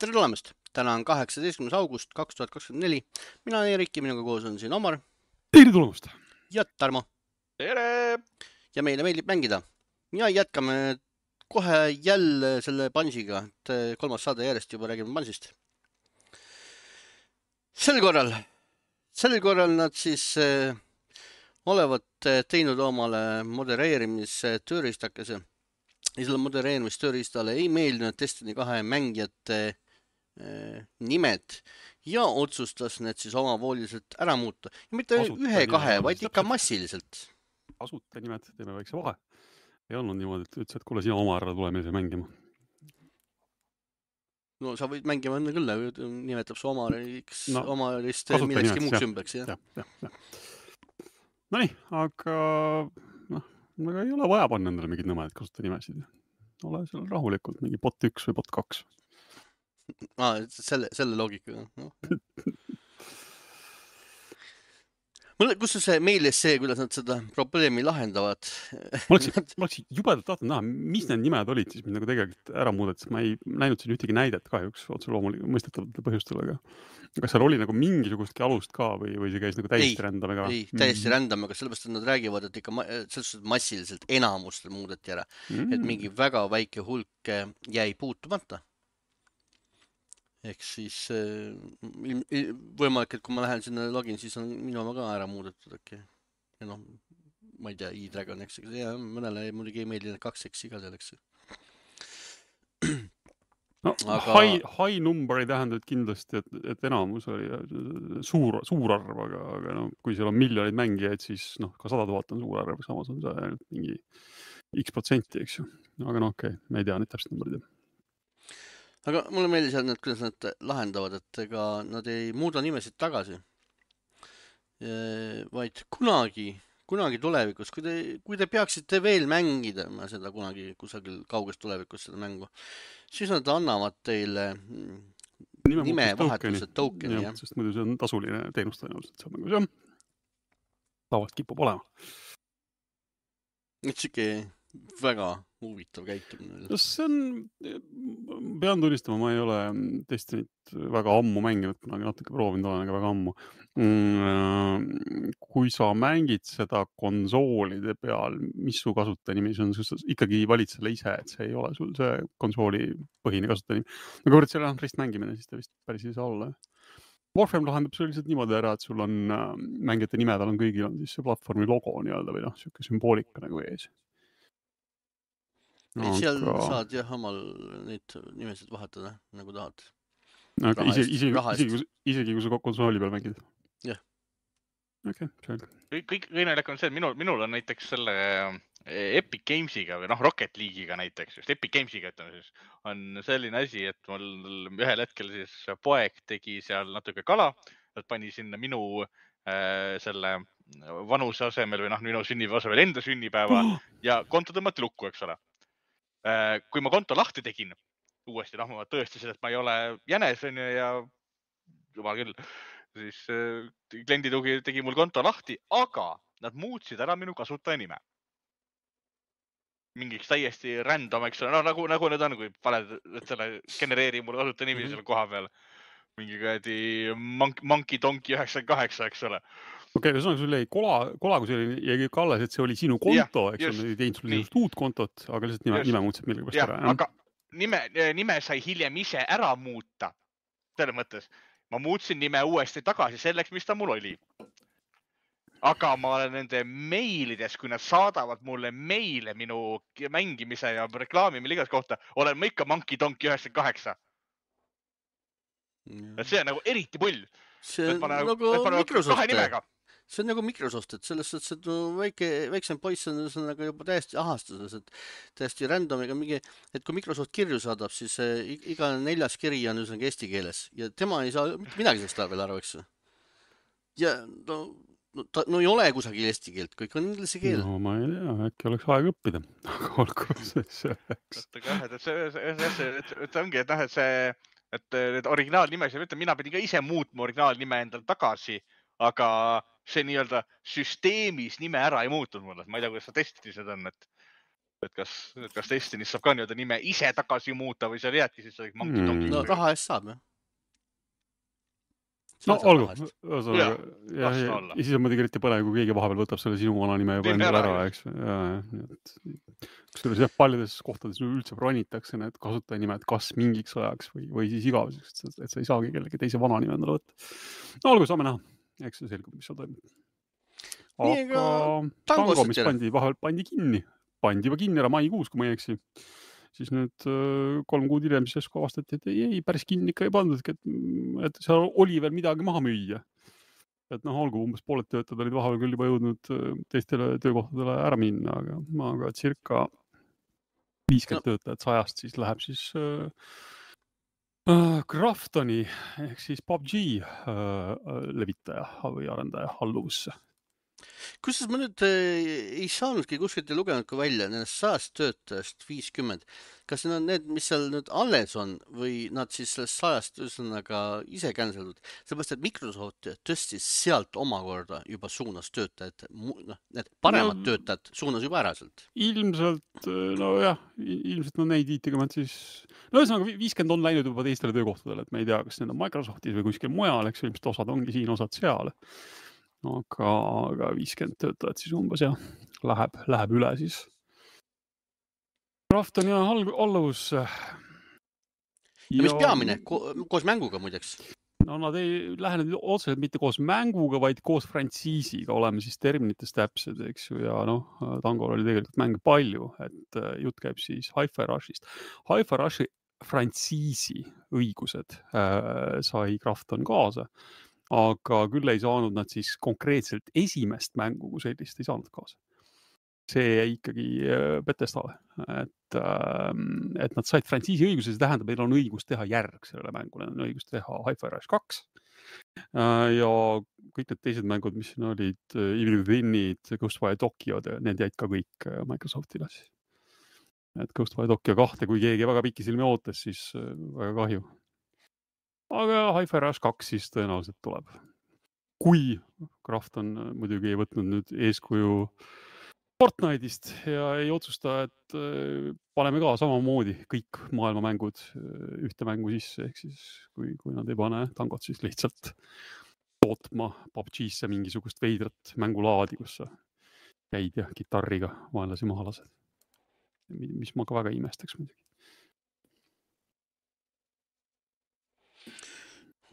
Tere tulemast! Täna on 18. august 2024. Mina olen Erik ja minuga koos on siin Omar. Tere tulemast! Ja Tarmo. Tere! Ja meile meeldib mängida. Ja jätkame kohe jälle selle Bungiga, et kolmas saade järjest juba räägime Bungist. Sel korral nad siis olevat teinud omale modereerimistööriistakese. Ja selle modereerimistööriistale ei meeldinud Destiny 2 mängijate nimed ja otsustas need siis omavooliselt ära muuta. Ja mitte ühe-kahe, vaid ikka massiliselt. Asuta nimed, teeme väikse vahe. Ei olnud niimoodi, et ütles, et kuule, sina oma ära tule meile mängima. No sa võid mängima enne küll, nimetab su Omariks, No, Omarist kasuta millekski nimed, muuks jah. ümbeks. Ja. No nii, aga ei ole vaja panna endale mingid nõmed, et kasuta nimesid. Ole seal rahulikult, mingi bot 1 või bot 2. Selle loogikaga. No. Kus see meilis see, kuidas nad seda probleemi lahendavad? Ma oleks jubedalt tahtnud näha, mis need nimed olid siis, mis nagu tegelikult ära muudeti, sest ma ei näinud siin ühtegi näidet kahjuks otse loomulikult mõistetavatel põhjustel, aga kas seal oli nagu mingisugustki alust ka või see käis nagu täiesti rändamega? Ei, täiesti rändamega, sellepärast et nad räägivad, et ikka selles massiliselt enamustel muudeti ära, et mingi väga väike hulk jäi puutumata. Ehk siis võimalik, et kui ma lähen sinna login, siis on minu oma ka ära muudetud äkki. Ja noh, ma ei tea, E-Dragon, eks. Ja mõnele muidugi ei meeldi need 2X iga selleks. No, high number ei tähenda kindlasti, et enamus oli suur arv, aga no, kui seal on miljoneid mängijaid, siis ka 100 000 on suur arv, samas on see mingi X%, eks ju. Aga no okei, me ei tea neid täpselt numbrid. Aga mulle meeldis, kuidas nad lahendavad, et ega nad ei muuda nimesid tagasi, vaid kunagi tulevikus, kui te peaksite veel mängida seda kunagi kusagil kauges tulevikus seda mängu, siis nad annavad teile nimevahetuse tokeni. Ja, sest muidu see on tasuline teenus tõenäoliselt seal mängus, jah. Tavaliselt kipub olema. Et siuke väga huvitav käitumine. See on, pean tunnistama, ma ei ole Destinit väga ammu mänginud, kunagi natuke proovinud olen, aga väga ammu. Kui sa mängid seda konsoolide peal, mis su kasutajanimi see on, ikkagi valid selle ise, et see ei ole sul see konsooli põhine kasutajanimi. Aga võrd selle rist mängimine, siis ta vist päris ei saa olla. Warframe lahendab see lihtsalt niimoodi ära, et sul on mängijate nimedel on kõigil on siis see platvormi logo nii-öelda või siuke sümboolika nagu ees. Seal saad jah omal neid nimesid vahetada, nagu tahad. Isegi kui sa konsooli peal mängid? Jah. Okei, selge. Kõik õinelik on see, et minul on näiteks selle Epic Gamesiga või Rocket League'iga näiteks, just Epic Gamesiga ütleme siis, on selline asi, et mul ühel hetkel siis poeg tegi seal natuke kala, et pani sinna minu selle vanuse asemel või minu sünnipäeva asemel enda sünnipäeva ja konto tõmmati lukku, eks ole. Kui ma konto lahti tegin uuesti, ma tõestasin, et ma ei ole jänes ja jumal küll, siis klienditugi tegi mul konto lahti, aga nad muutsid ära minu kasutaja nime. Mingiks täiesti random, eks ole, nagu need on, kui paned selle genereeri mulle kasutaja nimi selle koha peal. Mingi käedi Monkey Donkey 98, eks ole. Okei, ühesõnaga sul jäi kola, kui see jäi ka alles, et see oli sinu konto, eks ole, ei teinud sulle just uut kontot, aga lihtsalt nime muutsid millegipärast ära. Aga nime sai hiljem ise ära muuta. Selle mõttes, ma muutsin nime uuesti tagasi selleks, mis ta mul oli. Aga ma olen nende meilides, kui nad saadavad mulle meile minu mängimise ja reklaami milligas kohta, olen ma ikka Monkey Donkey 98. See on nagu eriti pull. See on nagu Microsoft. See on nagu Microsoft, et selles suhtes, et väiksem poiss on nagu juba täiesti ahastuses, et täiesti randomiga mingi, et kui Microsoft kirju saadab, siis iga 4. kiri on eesti keeles ja tema ei saa midagi sellest veel aru, eks. Ja no ei ole kusagil eesti keelt, kõik on inglise keel. No ma ei tea, äkki oleks aeg õppida, aga olgu see oleks. See ongi, et need originaalnimesid, mina pidin ka ise muutma originaalnime endal tagasi, aga see nii-öelda süsteemis nime ära ei muutunud mulle. Ma ei tea, kuidas sa testid seda on, et et kas Destiny's saab ka nii-öelda nime ise tagasi muuta või seal jääbki siis Monkey Donkey. No raha eest saab, jah. No olgu, ja siis on muidugi eriti põle, kui keegi vahepeal võtab selle sinu vana nime juba endale ära, eks. Kusjuures paljudes kohtades üldse bronitakse need kasutajanimed kas mingiks ajaks või siis igaveseks, et sa ei saagi kellegi teise vana nime endale võtta. No olgu, saame näha. Eks see selgub, mis seal toimub. Aga Tango, mis pandi kinni juba kinni ära maikuus, kui ma ei eksi. Siis nüüd 3 kuud hiljem siis avastati, et ei, päris kinni ikka ei pandud, et seal oli veel midagi maha müüa. Et olgu, umbes pooled töötajad olid vahepeal küll juba jõudnud teistele töökohtadele ära minna, aga circa 50 töötajat 100 siis läheb siis Kraftoni ehk siis PUBG levitaja või arendaja alluvusse. Kusjuures ma nüüd ei saanudki kuskilt ja lugenudki välja nendest 100 töötajast 50. Kas need on need, mis seal nüüd alles on või nad siis sellest 100 üsnaga ise canceldud? Sellepärast, et Microsoft tõstis sealt omakorda juba suunas töötajad, need paremad töötajad suunas juba ära sealt. Ilmselt, ilmselt neid 50 siis, ühesõnaga 50 on läinud juba teistele töökohtadele, et me ei tea, kas need on Microsoftis või kuskil mujal, eks ilmselt osad ongi siin, osad seal. Aga 50 töötajad siis umbes ja läheb üle siis. Kraftoni alluvus. Ja mis peamine? Koos mänguga muideks? No nad ei lähe nüüd otseselt mitte koos mänguga, vaid koos frantsiisiga, oleme siis terminites täpsed, eks ju, ja Tangol oli tegelikult mänge palju, et jutt käib siis Hi-Fi Rushist. Hi-Fi Rushi frantsiisi õigused sai Krafton kaasa. Aga küll ei saanud nad siis konkreetselt esimest mängu, kui sellist ei saanud kaasa. See jäi ikkagi Bethesdale, et nad said frantsiisi õiguse, see tähendab, et on õigus teha järg sellele mängule, on õigus teha Hi-Fi Rush 2 ja kõik need teised mängud, mis siin olid, Evil Within'id, Ghostwire Tokyo, need jäid ka kõik Microsoftile. Et Ghostwire Tokyo 2, kui keegi väga pikki silmi ootas, siis väga kahju. Aga Hi-Fi Rush 2 siis tõenäoliselt tuleb. Kui Krafton muidugi ei võtnud nüüd eeskuju Fortnite'ist ja ei otsusta, et paneme ka samamoodi kõik maailmamängud ühte mängu sisse, ehk siis kui nad ei pane Tangot siis lihtsalt tootma PUBG-sse mingisugust veidrat mängulaadi, kus sa käid ja kitarriga vaenlasi maha lased. Mis ma ka väga imestaks muidugi.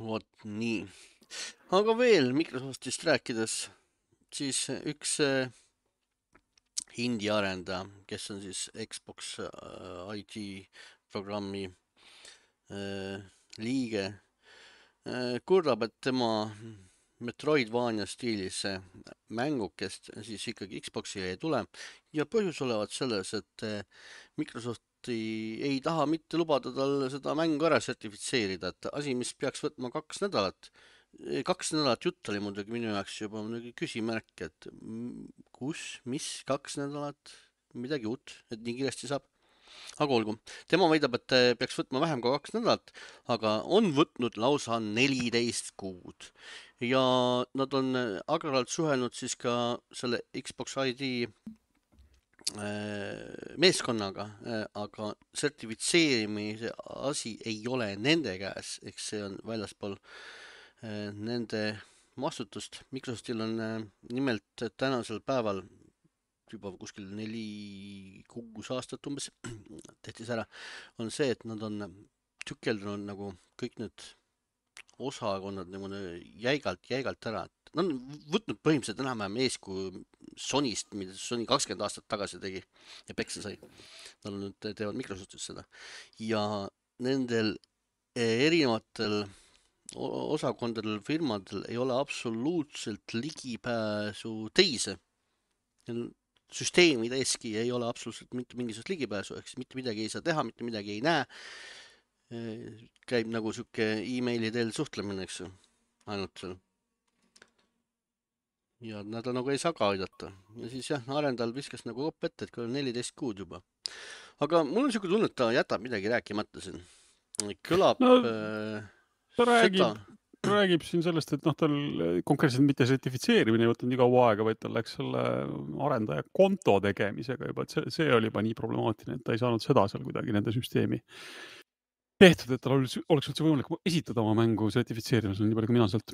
Vot nii. Aga veel Microsoftist rääkides, siis üks indie arendaja, kes on siis Xbox IT programmi liige, kurdab, et tema Metroidvania stiilis mängukest siis ikkagi Xboxi ei tule ja põhjus olevat selles, et Microsoft ei taha mitte lubada tal seda mängu ära sertifitseerida, et asi, mis peaks võtma 2 nädalat. 2 nädalat jutt oli muidugi minu jaoks juba küsimärk, et mis 2 nädalat, midagi uut, et nii kiiresti saab. Aga olgu, tema väidab, et peaks võtma vähem kui 2 nädalat, aga on võtnud lausa 14 kuud. Ja nad on agralt suhelnud siis ka selle Xbox ID meeskonnaga, aga sertifitseerimise asi ei ole nende käes, eks see on väljaspool nende vastutust. Microsoftil on nimelt tänasel päeval juba kuskil 4-6 aastat umbes tehti see ära, on see, et nad on tükeldunud nagu kõik need osakonnad nagu jäigalt ära. Nad on võtnud põhimõtteliselt enam-vähem eeskuju Sonyst, mida Sony 20 aastat tagasi tegi ja peksa sai. Nad nüüd teevad Microsoftis seda. Ja nendel erinevatel osakondadel, firmadel ei ole absoluutselt ligipääsu teise. Süsteemide eski ei ole absoluutselt mitte mingisugust ligipääsu, ehk mitte midagi ei saa teha, mitte midagi ei näe. Käib nagu siuke e-maili teel suhtlemine, eks ju, ainult seal. Ja nad nagu ei saa ka aidata. Ja siis jah, arendajal viskas nagu kopp ette, et kui on 14 kuud juba. Aga mul on siuke tunne, et ta jätab midagi rääkimata siin. Kõlab no, ta räägib räägib siin sellest, et tal konkreetselt mitte sertifitseerimine ei võtnud nii kaua aega, vaid tal läks selle arendaja konto tegemisega juba, et see oli juba nii problemaatiline, et ta ei saanud seda seal kuidagi nende süsteemi tehtud, et tal oleks üldse võimalik esitada oma mängu sertifitseerimisel, nii palju kui mina sealt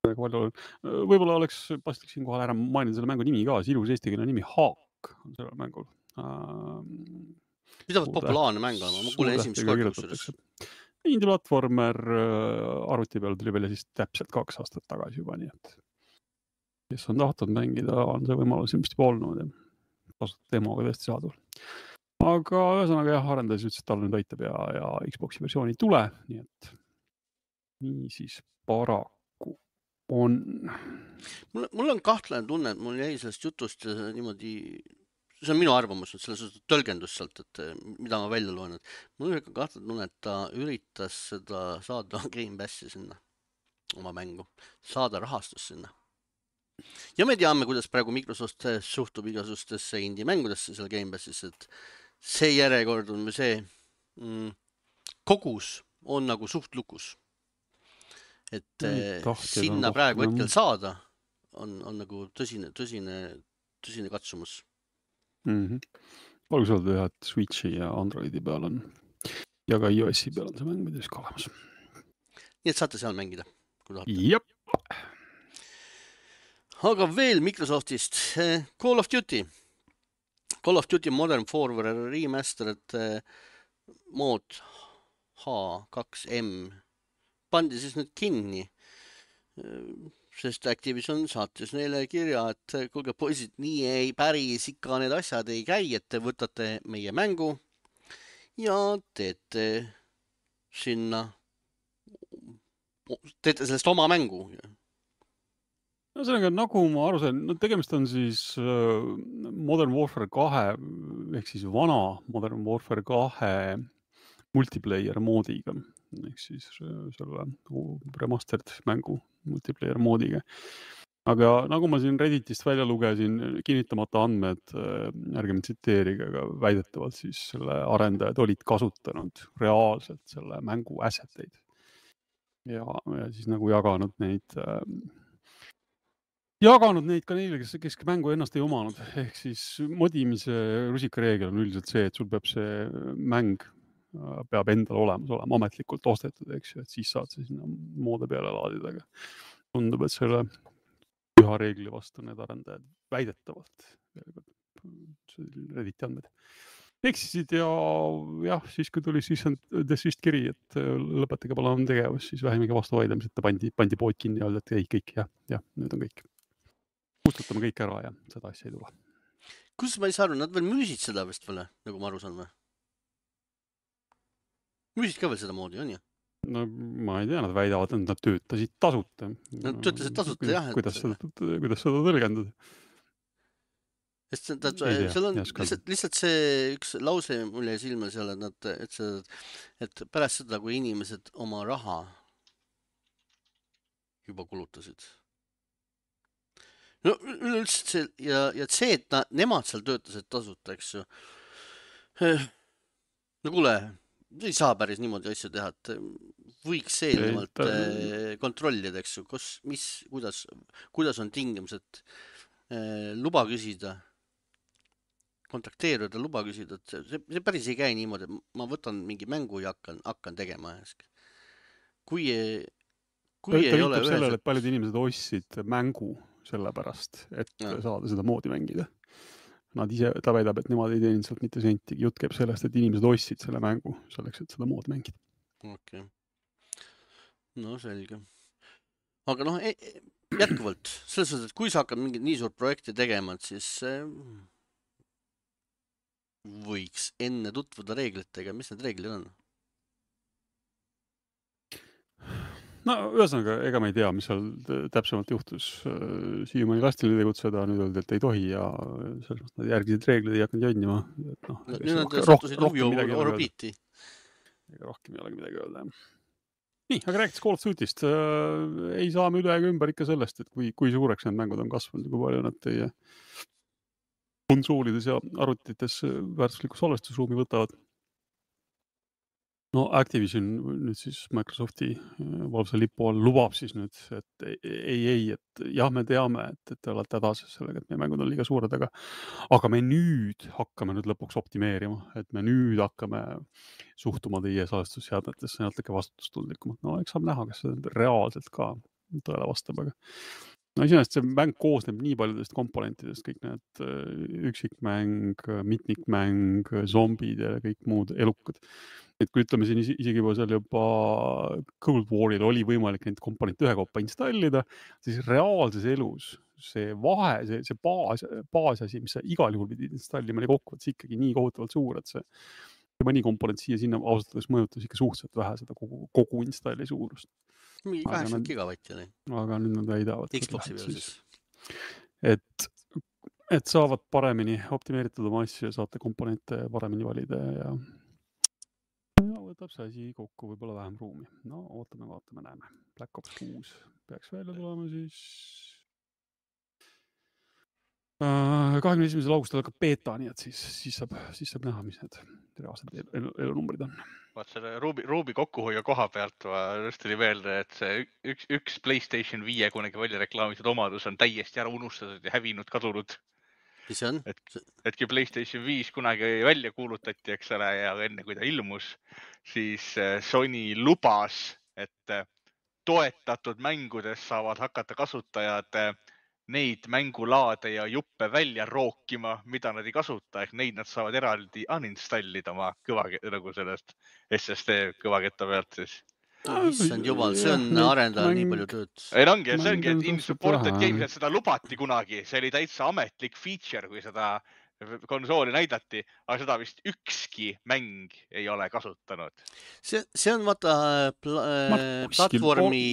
võib-olla oleks paslik siinkohal ära mainida selle mängu nimi ka, see ilus eestikeelne nimi Haak on sellel mängul. Pidavalt populaarne mäng olema, ma kuulen esimest korda kusjuures. Indie-platvormer arvuti peal tuli välja siis täpselt 2 aastat tagasi juba, nii et kes on tahtnud mängida, on see võimalus ilmselt juba olnud ja tasuta demoga tõesti saadud. Aga ühesõnaga jah, arendajas ütles, et tal nüüd aitab ja Xboxi versiooni ei tule, nii et nii siis paraku on. Mul on kahtlane tunne, et mul jäi sellest jutust niimoodi, see on minu arvamus, selles suhtes tõlgendus sealt, et mida ma välja loen, et mul on kahtlane tunne, et ta üritas seda saada Game Passi sinna, oma mängu, saada rahastus sinna. Ja me teame, kuidas praegu Microsoft suhtub igasustesse indie-mängudesse seal Game Passis, et see järjekord on see kogus on nagu suht lukus. Et sinna praegu hetkel saada on nagu tõsine katsumus. Olgu öelda, et Switchi ja Androidi peal on ja ka iOS-i peal on see mäng midagi ka olemas. Nii et saate seal mängida, kui tahate. Jep. Aga veel Microsoftist Call of Duty Modern Warfare Remastered mood H2M pandi siis nüüd kinni, sest Activision saatis neile kirja, et kuulge poisid, nii ei päris ikka need asjad ei käi, et te võtate meie mängu ja teete sellest oma mängu. No sellega, nagu ma aru sain, tegemist on siis Modern Warfare 2 ehk siis vana Modern Warfare 2 multiplayer moodiga. Ehk siis selle remastered mängu multiplayer moodiga. Aga nagu ma siin Redditist välja lugesin, kinnitamata andmed, ärge tsiteerige, aga väidetavalt siis selle arendajad olid kasutanud reaalselt selle mängu asseteid. Ja siis nagu jaganud neid ka neile, kes mängu ennast ei omanud. Ehk siis modimise rusikareegel on üldiselt see, et sul peab see mäng peab endal olemas olema ametlikult ostetud, eks ju, et siis saad see sinna moode peale laadida. Aga tundub, et selle üha reegli vastu need arendajad väidetavalt Redditi andmed eksisid ja siis kui tuli desist kiri, et lõpetage palun tegevus, siis vähemegi vastu vaidlemised, et pandi pood kinni ja öeldi, et ei, kõik ja nüüd on kõik. Kustutame kõik ära ja seda asja ei tule. Kus ma ei saa aru, nad veel müüsid seda vist veel, nagu ma aru saan või? Müüsid ka veel seda moodi, on ju? No ma ei tea, nad väidavad, et nad töötasid tasuta. Nad töötasid tasuta, jah. Kuidas seda tõlgendada? Seal on lihtsalt see üks lause mul jäi silma seal, et pärast seda, kui inimesed oma raha juba kulutasid. No üleüldse see, ja see, et nemad seal töötasid tasuta, eks ju. No kuule, ei saa päris niimoodi asju teha, et võiks eelnevalt kontrollida, eks ju, kuidas on tingimused luba küsida, kontakteeruda, luba küsida, et see päris ei käi niimoodi, ma võtan mingi mängu ja hakkan tegema. Kui ei ole sellele, et paljud inimesed ostsid mängu sellepärast, et saada seda moodi mängida. Ta väidab, et nemad ei teeninud sealt mitte sentigi. Jutt käib sellest, et inimesed ostsid selle mängu selleks, et seda moodi mängida. Okei. No selge. Aga jätkuvalt, selles suhtes, et kui sa hakkad mingit nii suurt projekti tegema, siis võiks enne tutvuda reeglitega. Mis need reeglid on? No ühesõnaga, ega me ei tea, mis seal täpsemalt juhtus. Siiamaani lastile tegutseda, nüüd öeldi, et ei tohi ja selles mõttes nad järgisid reeglid ei hakanud jonnima. Nüüd nad sattusid orbiiti. Rohkem ei olegi midagi öelda. Nii, aga rääkides Call of Duty'st, ei saa me üle ega ümber ikka sellest, et kui suureks need mängud on kasvanud ja kui palju nad teie konsoolides ja arvutites väärtuslikku salvestusruumi võtavad. No Activision nüüd siis Microsofti valvsa lipu all lubab siis nüüd, et et jah, me teame, et te olete hädas sellega, et meie mängud on liiga suured, aga me nüüd hakkame nüüd lõpuks optimeerima, et me nüüd hakkame suhtuma teie salvestusseadmetesse natuke vastutustundlikumalt. No eks saab näha, kas see reaalselt ka tõele vastab, aga no iseenesest see mäng koosneb nii paljudest komponentidest, kõik need üksikmäng, mitmikmäng, zombid ja kõik muud elukad. Et kui ütleme siin isegi seal juba Cold War'il oli võimalik neid komponente ühekaupa installida, siis reaalses elus see vahe, see baasasi, mis sa igal juhul pidid installima, oli kokkuvõttes ikkagi nii kohutavalt suur, et see mõni komponent siia-sinna ausalt mõjutas ikka suhteliselt vähe seda kogu installi suurust. Mingi 80 gigavatti oli. Aga nüüd nad väidavad. Xboxi peal siis. Et saavad paremini optimeeritud oma asju ja saate komponente paremini valida ja võtab see asi kokku võib-olla vähem ruumi. No ootame, vaatame, näeme. Black Ops 6 peaks välja tulema siis 21. augustil hakkab beta, nii et siis saab näha, mis need reaalsed elunumbrid on. Vaat selle ruubi kokkuhoia koha pealt just tuli meelde, et see üks PlayStation 5 kunagi välja reklaamitud omadus on täiesti ära unustatud ja hävinud, kadunud. Mis see on? Et kui PlayStation 5 kunagi välja kuulutati, eks ole, ja enne kui ta ilmus, siis Sony lubas, et toetatud mängudes saavad hakata kasutajad neid mängulaade ja juppe välja rookima, mida nad ei kasuta, ehk neid nad saavad eraldi uninstallida oma nagu sellest SSD kõvaketta pealt siis. Issand jumal, see on arendajal nii palju tööd. Ei ongi, see ongi, et in-supported games, et seda lubati kunagi, see oli täitsa ametlik feature, kui seda konsooli näidati, aga seda vist ükski mäng ei ole kasutanud. See on vaata platvormi...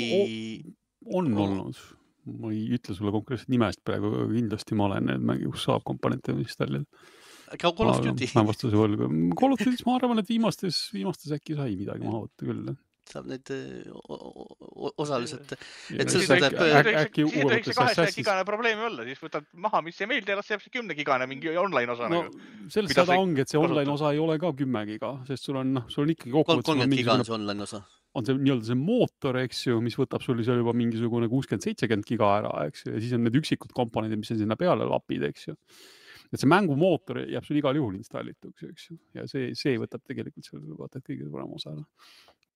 On olnud. Ma ei ütle sulle konkreetselt nimest praegu, aga kindlasti ma olen need mängi, kus saab komponente installida. Call of Duty. Call of Duty, ma arvan, et viimastes äkki sai midagi maha võtta küll. Saab need osaliselt. Siis ei tohiks 200 gigane probleemi olla, siis võtad maha, mis ei meeldi ja las jääb see 10 gigane mingi online osa. No sellest seda ongi, et see online osa ei ole ka 10 giga, sest sul on ikkagi kokkuvõttes 30 giga on see online osa. On see nii-öelda see mootor, eks ju, mis võtab sul seal juba mingisugune 60-70 giga ära, eks ju, ja siis on need üksikud komponendid, mis on sinna peale lapid, eks ju. Et see mängumootor jääb sul igal juhul installituks, eks ju, ja see võtab tegelikult seal vaata kõige suurem osa.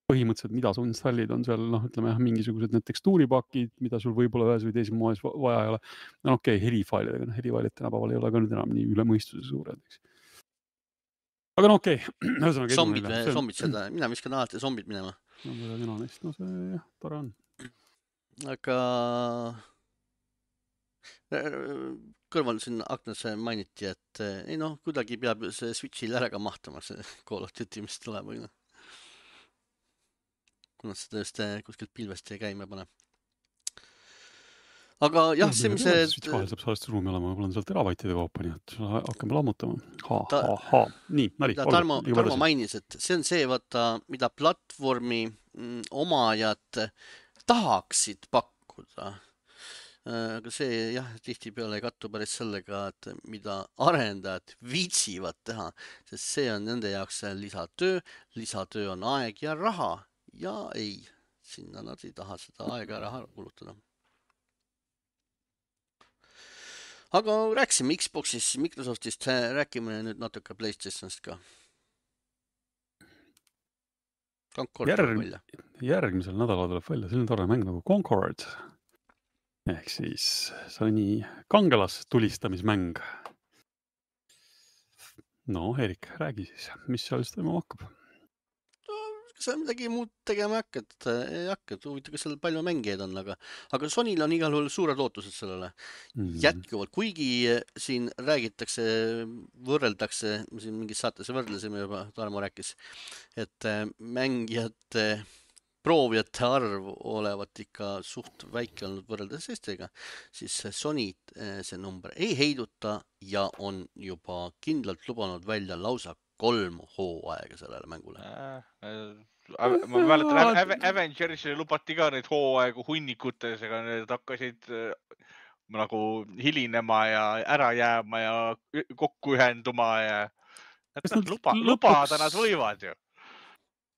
Põhimõtteliselt, mida sa installid, on seal, ütleme, mingisugused need tekstuuripakid, mida sul võib-olla ühes või teises moes vaja ei ole. No okei, helifailidega, helifailid tänapäeval ei ole ka nüüd enam nii üle mõistuse suured, eks. Aga no okei. Zombid seda, mina viskan alati zombid minema. No see jah, tore on. Aga kõrval siin aknasse mainiti, et ei kuidagi peab see Switch'il ära ka mahtuma, see Call of Duty, mis tuleb. Kuna seda just kuskilt pilvest ei käima pane. Aga jah, see, mis see... Switch vahel saab salvestusruumi olema, võib-olla on sealt teravaitide kaupa, nii et hakkame lammutama. Nii, nali. Tarmo mainis, et see on see, mida platvormi omajad tahaksid pakkuda. Aga see jah, tihtipeale ei kattu päris sellega, et mida arendajad viitsivad teha, sest see on nende jaoks lisatöö on aeg ja raha ja ei, sinna nad ei taha seda aega ja raha kulutada. Aga rääksime Xboxist, Microsoftist, räägime nüüd natuke PlayStationist ka. Concord tuleb välja. Järgmisel nädalal tuleb välja selline tore mäng nagu Concord. Ehk siis Sony kangelas tulistamismäng. No, Erik, räägi siis, mis seal toimuma hakkab? Sa midagi muud tegema ei hakka, huvitav, kas seal palju mängijaid on, aga Sonyl on igal juhul suured ootused sellele jätkuvalt, kuigi siin räägitakse, võrreldakse, siin mingis saates võrdlesime juba, Tarmo rääkis, et mängijate, proovijate arv olevat ikka suht väike olnud võrreldes teistega, siis Sony see number ei heiduta ja on juba kindlalt lubanud välja lausa 3 hooaega sellele mängule. Ma mäletan, Avengersile lubati ka neid hooaegu hunnikutes, ega need hakkasid nagu hilinema ja ära jääma ja kokku ühenduma ja lubada nad võivad ju.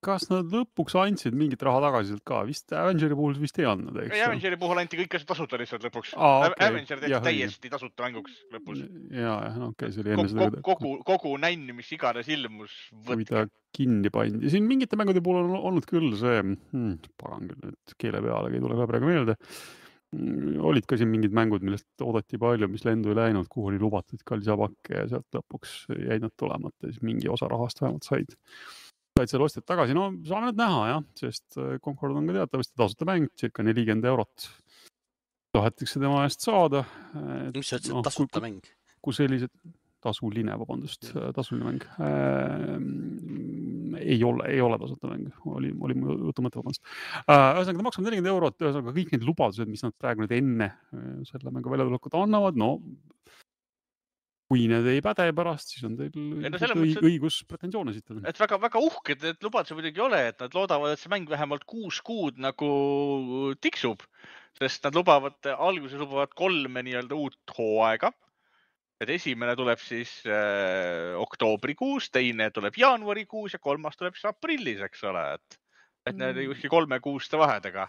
kas nad lõpuks andsid mingit raha tagasi sealt ka? Vist Avengeri puhul vist ei andnud, eks? Avengeri puhul anti kõik asjad tasuta lihtsalt lõpuks. Avenger tehti täiesti tasuta mänguks lõpus. Okei, see oli enne seda. Kogu nänn, mis iganes ilmus, võtke. Kui ta kinni pandi. Siin mingite mängude puhul on olnud küll see, pagan küll, et keele peale ei tule ka praegu meelde. Olid ka siin mingid mängud, millest oodati palju, mis lendu ei läinud, kuhu oli lubatud kallisapakke ja sealt lõpuks jäid nad tulemata, siis mingi osa rahast vähemalt said seal ostjad tagasi. No saame need näha, jah, sest Concord on ka teatavasti tasuta mäng, circa 40 €. Tahetakse tema eest saada. Mis sa ütlesid, tasuta mäng? Kui sellised tasuline mäng. Ei ole tasuta mäng. Oli mu jutu mõte, vabandust. Ühesõnaga, ta maksab 40 €. Ühesõnaga, kõik need lubadused, mis nad praegu nüüd enne selle mängu väljatulekut annavad, no kui need ei päde pärast, siis on teil õigus pretensioone esitada. Et väga uhked need lubadused muidugi ole, et nad loodavad, et see mäng vähemalt 6 kuud nagu tiksub, sest nad alguses lubavad 3 nii-öelda uut hooaega. Et esimene tuleb siis oktoobrikuus, teine tuleb jaanuarikuus ja 3. tuleb siis aprillis, eks ole. Et need kuskil 3 kuuste vahedega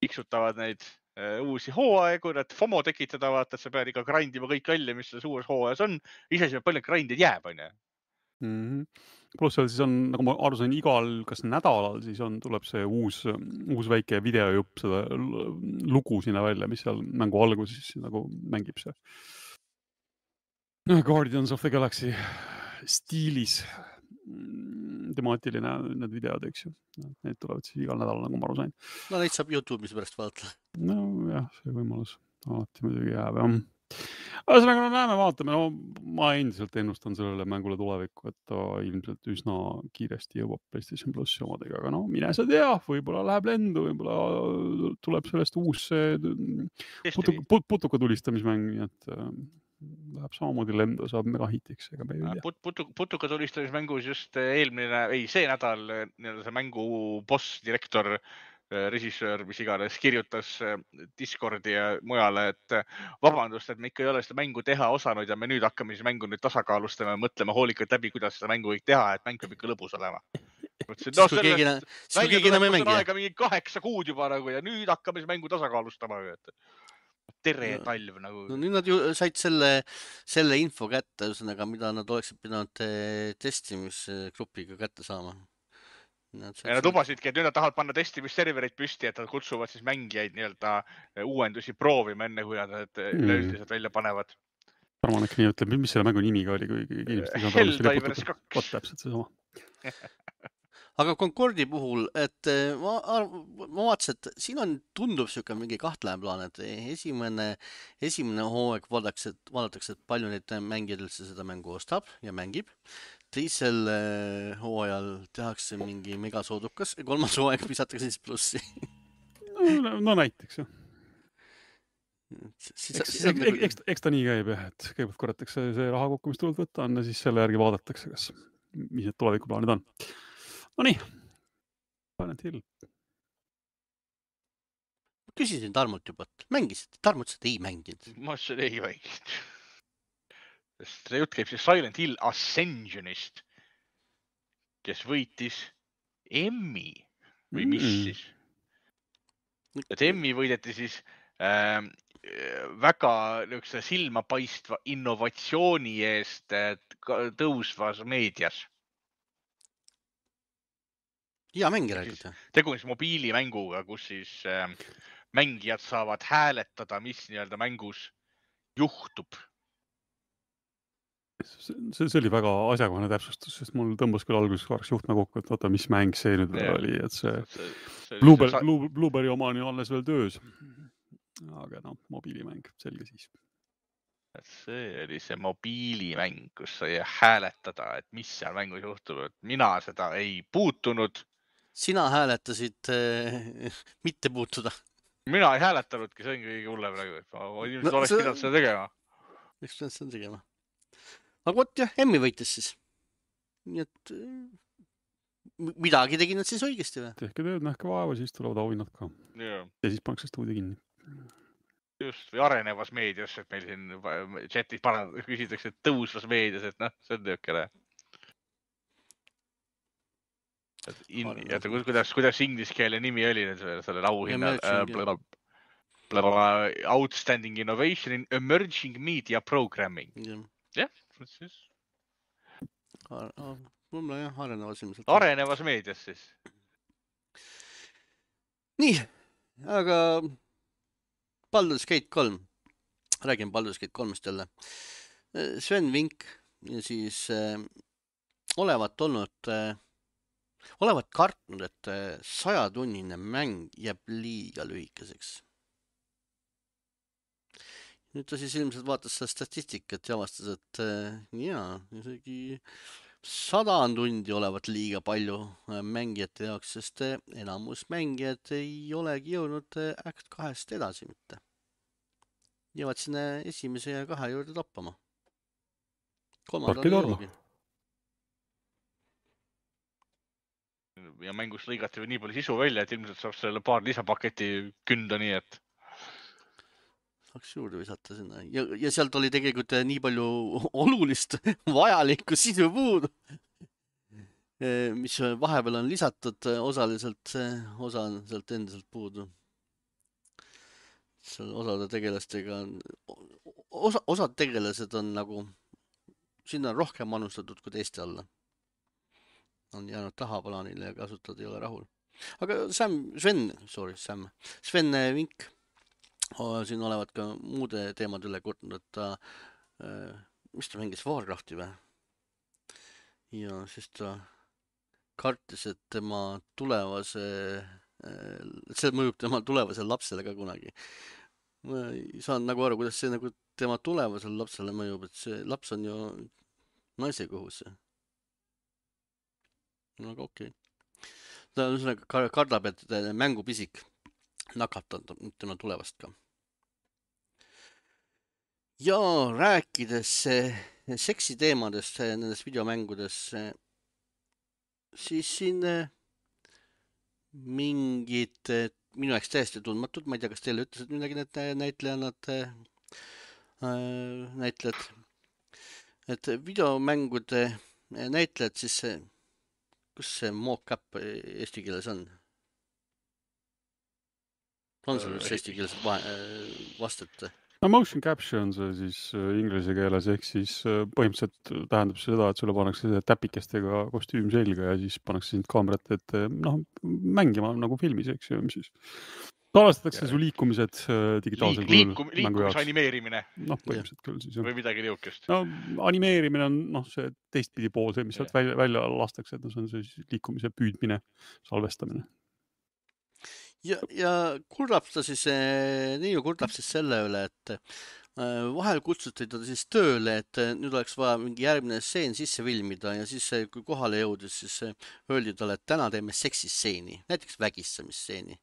tiksutavad neid uusi hooaegu, et FOMO tekitada, vaata, et sa pead ikka grindima kõik välja, mis selles uues hooajas on. Ise palju grindid jääb, on ju. Pluss seal siis on, nagu ma aru sain, igal kas nädalal siis tuleb see uus väike videojupp, seda lugu sinna välja, mis seal mängu alguses nagu mängib see Guardians of the Galaxy stiilis temaatiline need videod, eks ju. Need tulevad siis igal nädalal, nagu ma aru sain. No neid saab YouTube'is pärast vaadata. No jah, see võimalus alati muidugi jääb, jah. Ühesõnaga, näeme, vaatame. No, ma endiselt ennustan sellele mängule tulevikku, et ta ilmselt üsna kiiresti jõuab PlayStation Plussi omadega. Aga no, mine sa tea, võib-olla läheb lendu, võib-olla tuleb sellest uus putuka tulistamismäng, nii et läheb samamoodi lendu, saab mega hitiks, ega me ei tea. Putuka tulistamismängus just see nädal see mängu boss, direktor, režissöör, mis iganes, kirjutas Discordi ja mujale, et vabandust, et me ikka ei ole seda mängu teha osanud ja me nüüd hakkame siis mängu nüüd tasakaalustama ja mõtlema hoolikalt läbi, kuidas seda mängu kõik teha, et mäng peab ikka lõbus olema. Kui keegi enam ei mängi. Aega mingi 8 kuud juba nagu ja nüüd hakkame siis mängu tasakaalustama. Tere talv nagu. No nüüd nad ju said selle info kätte, mida nad oleksid pidanud testimisgrupiga kätte saama. Ja nad lubasidki, et nüüd nad tahavad panna testimisservereid püsti, et nad kutsuvad siis mängijaid nii-öelda uuendusi proovima enne, kui nad üleüldiselt välja panevad. Arvan, äkki nii ütleb, mis selle mängu nimiga oli, kui inimesed ei saanud Helldivers 2. Täpselt see sama. Aga Concordi puhul, et ma vaatasin, et siin tundub siuke mingi kahtlane plaan, et esimene hooaeg vaadatakse, et palju neid mängijaid üldse seda mängu ostab ja mängib. Teisel hooajal tehakse mingi megasoodukas ja 3. hooaeg visatakse siis plussi. No näiteks, jah. Eks ta nii käib, jah, et kõigepealt korratakse see raha kokku, mis tuleb võtta on ja siis selle järgi vaadatakse, mis need tulevikuplaanid on. No nii. Silent Hill. Küsisin Tarmult juba, et mängisid. Tarmult seda ei mänginud. Ma seda ei mänginud. See jutt käib siis Silent Hill Ascensionist, kes võitis Emmy või mis siis. Et Emmy võideti siis väga silmapaistva innovatsiooni eest tõusvas meedias. Hea mängi räägid. Tegu siis mobiilimänguga, kus siis mängijad saavad hääletada, mis nii-öelda mängus juhtub. See oli väga asjakohane täpsustus, sest mul tõmbas küll alguses korraks juhtme kokku, et vaata, mis mäng see nüüd veel oli, et see Blueberry oma on ju alles veel töös. Aga no, mobiilimäng, selge siis. See oli see mobiilimäng, kus sai hääletada, et mis seal mängus juhtub. Mina seda ei puutunud. Sina hääletasid mitte puutuda. Mina ei hääletanudki, see on kõige hullem praegu. Inimesed oleks pidanud seda tegema. Miks pidanud seda tegema? Aga võt jah, Emmy võitis siis. Nii et midagi tegid nad siis õigesti või? Tehke tööd, nähke vaeva, siis tulevad auhinnad ka. Ja siis pannakse stuudio kinni. Just, või arenevas meedias, et meil siin chatis küsitakse, et tõusvas meedias, et noh, see on töökele. kuidas inglise keele nimi oli sellel auhinnal? Outstanding Innovation in Emerging Media Programming. Jah, siis. Võib-olla jah, arenevas ilmselt. Arenevas meedias siis. Nii, aga Baldur's Gate 3. Räägin Baldur's Gate 3-st jälle. Sven Vink ja siis olevat kartnud, et 100-tunnine mäng jääb liiga lühikeseks. Nüüd ta siis ilmselt vaatas seda statistikat ja avastas, et isegi 100 tundi olevat liiga palju mängijate jaoks, sest enamus mängijad ei olegi jõudnud Act 2-st edasi mitte. Jäävad sinna esimese ja 2 juurde toppama. Tarki torma. Ja mängust lõigati nii palju sisu välja, et ilmselt saab selle paar lisapaketi künda nii, et saaks juurde visata sinna. Ja sealt oli tegelikult nii palju olulist vajalikku sisu puudu, mis vahepeal on lisatud osaliselt, osa on sealt endiselt puudu. Seal osade tegelastega osad tegelased on nagu, sinna on rohkem manustatud kui teiste alla. On jäänud tahaplaanile ja kasutad ei ole rahul. Aga Sven Vink siin olevat ka muude teemad üle kurtnud, et ta, mis ta mängis Warcrafti või? Ja siis ta kartis, et tema see mõjub tema tulevasele lapsele ka kunagi. Ma ei saanud nagu aru, kuidas see nagu tema tulevasele lapsele mõjub, et see laps on ju naise kohus. No aga okei. Ta kardab, et mängupisik nakatab tema tulevast ka. Ja rääkides seksiteemadest nendes videomängudes, siis siin mingid minu jaoks täiesti tundmatud, ma ei tea, kas teile ütlesid midagi need näitlejad, et videomängude näitlejad siis, kus see mock-up eesti keeles on? On sul üks eesti keeles vastet? No motion capture on see siis inglise keeles, ehk siis põhimõtteliselt tähendab seda, et sulle pannakse täpikestega kostüüm selga ja siis pannakse sind kaamerat ette mängima nagu filmis, eks ju, mis siis talastatakse su liikumised digitaalsel kujul mängu jaoks. Liikumise animeerimine. Põhimõtteliselt küll siis. Või midagi niukest. No animeerimine on see teistpidi pool, see, mis sealt välja lastakse, et see on see liikumise püüdmine, salvestamine. Ja kurdab ta siis, Niiu kurdab siis selle üle, et vahel kutsuti ta siis tööle, et nüüd oleks vaja mingi järgmine stseen sisse filmida ja siis kui kohale jõudis, siis öeldi talle, et täna teeme seksistseeni, näiteks vägistamisstseeni.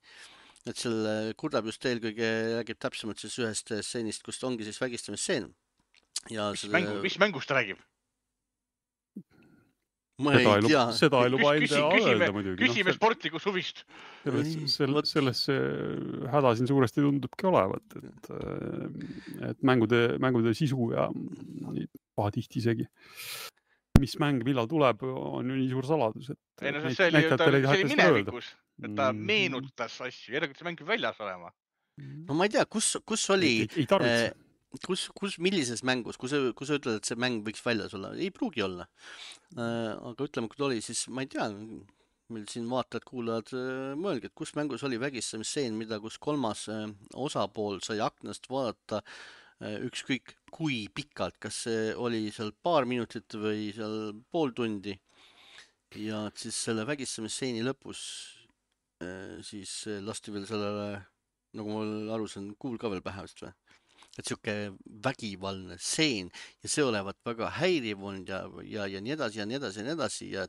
Et selle kurdab just eelkõige räägib täpsemalt siis ühest stseenist, kus ongi siis vägistamisstseen. Mis mängust ta räägib? Ma ei tea. Seda ei luba enda öelda muidugi. Küsime sportliku suvist. Selles häda siin suuresti tundubki olevat, et mängude sisu ja pahatihti isegi. Mis mäng millal tuleb, on ju nii suur saladus. See oli minevikus, et ta meenutas asju. Järelikult see mäng väljas olema. No ma ei tea, kus oli... Ei tarvitse. Millises mängus, kui sa ütled, et see mäng võiks väljas olla, ei pruugi olla. Aga ütleme, kui ta oli, siis ma ei tea, meil siin vaatajad, kuulajad mõelge, et kus mängus oli vägistamisstseen, mida kus kolmas osapool sai aknast vaadata ükskõik kui pikalt, kas see oli seal paar minutit või seal pool tundi. Ja siis selle vägistamissstseeni lõpus siis lasti veel sellele, nagu ma aru saan, kuul ka veel pähe vist või? Et siuke vägivaldne stseen ja see olevat väga häiriv on ja nii edasi ja nii edasi ja nii edasi ja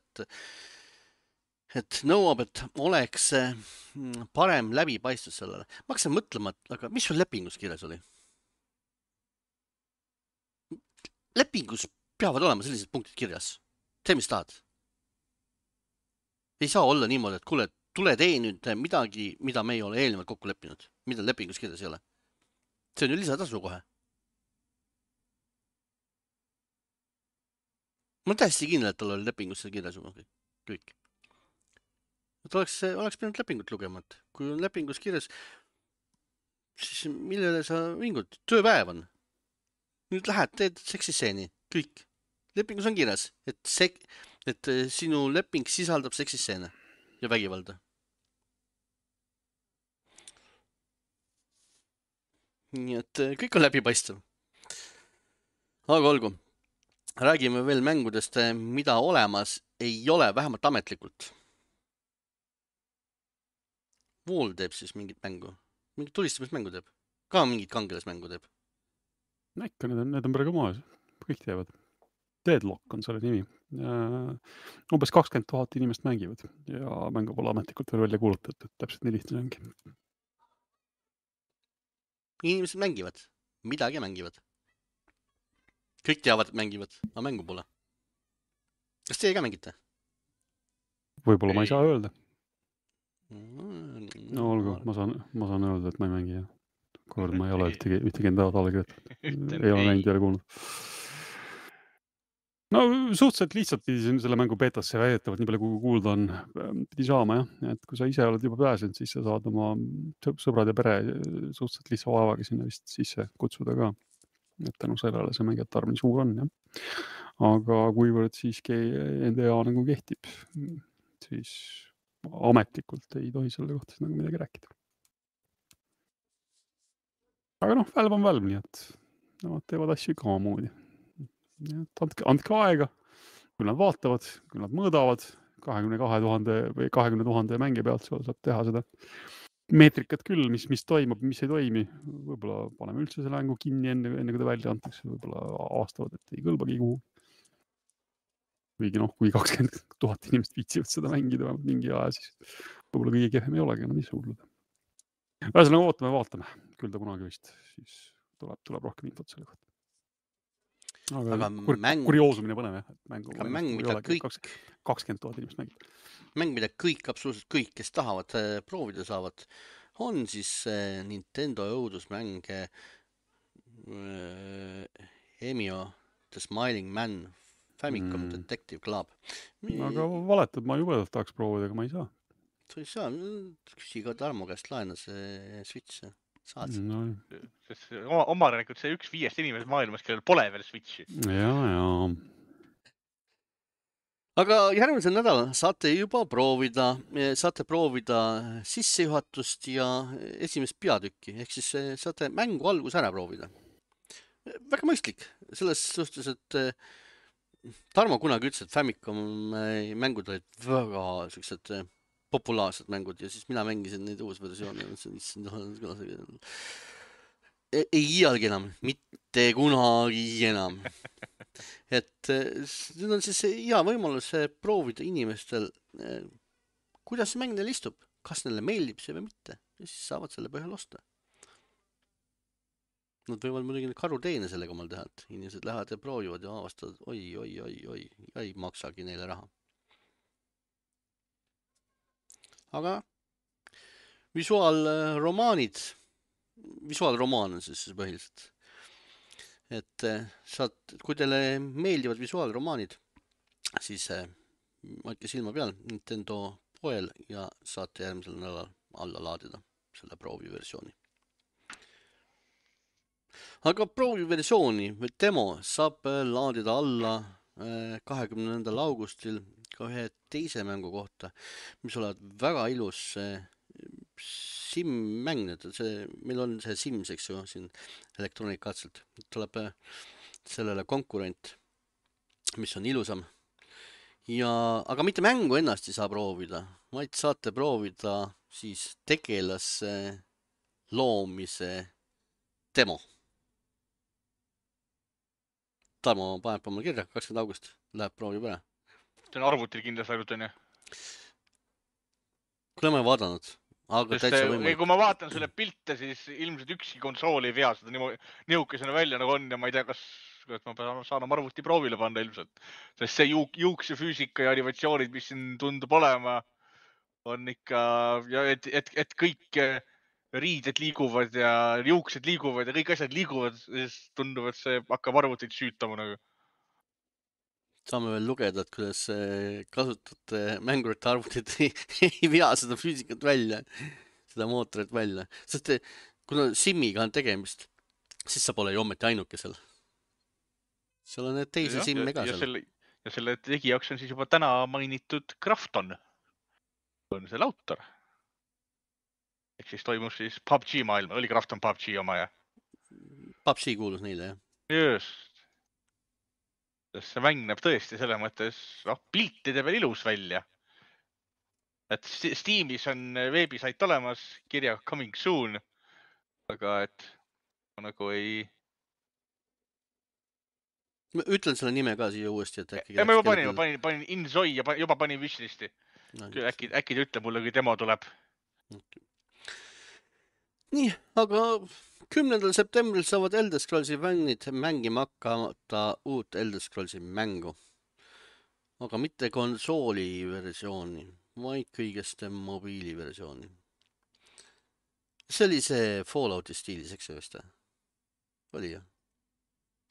et nõuab, et oleks parem läbipaistvus sellele. Ma hakkasin mõtlema, aga mis sul lepingus kirjas oli? Lepingus peavad olema sellised punktid kirjas. Tee, mis tahad. Ei saa olla niimoodi, et kuule, tule tee nüüd midagi, mida me ei ole eelnevalt kokku leppinud. Mida lepingus kirjas ei ole. See on ju lisatasu kohe. Ma olen täiesti kindel, et tal oli lepingus see kirjas kõik. et oleks pidanud lepingut lugema, et kui on lepingus kirjas, siis millele sa vingud? Tööpäev on. Nüüd lähed, teed seksisseeni, kõik. Lepingus on kirjas, et sinu leping sisaldab seksisseene ja vägivalda. Nii et kõik on läbipaistev. Aga olgu. Räägime veel mängudest, mida olemas ei ole, vähemalt ametlikult. Wall teeb siis mingit mängu. Mingit tulistamismängu teeb. Ka mingit kangelasmängu teeb. No ikka, need on praegu maas. Kõik teevad. Deadlock on selle nimi. Umbes 20 000 inimest mängivad ja mängu pole ametlikult veel välja kuulutatud. Täpselt nii lihtne ongi. Inimesed mängivad. Midagi mängivad. Kõik teavad, et mängivad, aga mängu pole. Kas teie ka mängite? Võib-olla ma ei saa öelda. No olgu, ma saan öelda, et ma ei mängi. Kord ma ei ole ühtegi enda allakirjutanud. Ei ole näinud, ei ole kuulnud. No suhteliselt lihtsalt pidi selle mängu betasse väidetavalt, nii palju kui kuulda on, pidi saama jah. Et kui sa ise oled juba pääsenud, siis sa saad oma sõbrad ja pere suhteliselt lihtsa vaevaga sinna vist sisse kutsuda ka. Et tänu sellele see mängijate arv nii suur on, jah. Aga kuivõrd siiski NDA nagu kehtib, siis ametlikult ei tohi selle kohta nagu midagi rääkida. Aga noh, Valve on Valve, nii et nad teevad asju ikka omamoodi. Andke aega, kui nad vaatavad, kui nad mõõdavad 22 000 või 20 000 mängija pealt, saab teha seda meetrikat küll, mis toimub, mis ei toimi. Võib-olla paneme üldse selle mängu kinni enne kui ta välja antakse, võib-olla avastavad, et ei kõlbagi kuhu. Kuigi noh, kui 20 000 inimest viitsivad seda mängida mingi aja, siis võib-olla kõige kehvem ei olegi enam nii suudleda. Ühesõnaga vaatame. Küll ta kunagi vist, siis tuleb rohkem infot selle kohta. Aga kurioosumine põnev, jah. Mäng, mida kõik 20 000 inimest mängib. Mäng, mida kõik, absoluutselt kõik, kes tahavad proovida saavad, on siis Nintendo õudusmäng Hemio The Smiling Man Famicom Detective Club. Aga valetad, ma jubedalt tahaks proovida, aga ma ei saa. Sa ei saa, küsi ka Tarmo käest laena see Switch. Saad. No. Omarelikult see 1-5 inimesed maailmas, kellel pole veel Switchi. Ja. Aga järgmisel nädalal saate juba proovida sissejuhatust ja esimest peatükki, ehk siis saate mängu algus ära proovida. Väga mõistlik, selles suhtes, et Tarmo kunagi ütles, et Famicom mängud olid väga sellised populaarsed mängud ja siis mina mängisin neid uus versioone. Ei iialgi enam, mitte kunagi enam. Et nüüd on siis hea võimalus proovida inimestel, kuidas see mäng neil istub, kas neile meeldib see või mitte ja siis saavad selle põhjal osta. Nad võivad muidugi karuteene sellega omal teha, et inimesed lähevad ja proovivad ja avastavad, oi, ei maksagi neile raha. Aga visuaalromaan on siis põhiliselt. Et kui teile meeldivad visuaalromaanid, siis hoidke silma peal Nintendo poel ja saate järgmisel nädalal alla laadida selle prooviversiooni. Aga prooviversiooni või demo saab laadida alla 20. augustil ka ühe teise mängu kohta, mis olevat väga ilus sim-mäng. Meil on see Sims, eks ju, siin Electronic Artselt. Tuleb sellele konkurent, mis on ilusam. Aga mitte mängu ennast ei saa proovida, vaid saate proovida siis tegelase loomise demo. Tarmo paneb oma kirja, 20. august läheb proovib ära. See on arvutil kindlasti ainult, on ju? Kuule, ma ei vaadanud, aga täitsa võimalik. Kui ma vaatan selle pilte, siis ilmselt ükski konsool ei vea seda nihukesena välja nagu on ja ma ei tea, kas ma saan oma arvuti proovile panna ilmselt. Sest see juukse füüsika ja animatsioonid, mis siin tundub olema, on ikka, et kõik riided liiguvad ja juuksed liiguvad ja kõik asjad liiguvad, siis tundub, et see hakkab arvutit süütama nagu. Saame veel lugeda, et kuidas kasutate mängurite arvutid ei vea seda füüsikat välja, seda mootorit välja. Sest kuna SIM-iga on tegemist, siis sa pole ju ometi ainuke seal. Seal on need teisi SIM-e ka seal. Ja selle tegijaks on siis juba täna mainitud Krafton. On selle autor. Ehk siis toimus siis PUBG maailma. Oli Krafton PUBG oma ja? PUBG kuulus neile, jah. Just. See mäng näeb tõesti selle mõttes, piltide veel ilus välja. Et Steamis on veebisait olemas, kirja coming soon. Aga et nagu ei... Ütlen selle nime ka siia uuesti, et äkki... Ma juba panin Inzoi ja juba panin wishlisti. Äkki ta ütle mulle, kui demo tuleb. Nii, aga 10. septembril saavad Elder Scrollsi fännid mängima hakata uut Elder Scrollsi mängu. Aga mitte konsooli versiooni, vaid kõigest mobiiliversiooni. See oli see Fallouti stiilis, eks see vist? Oli jah?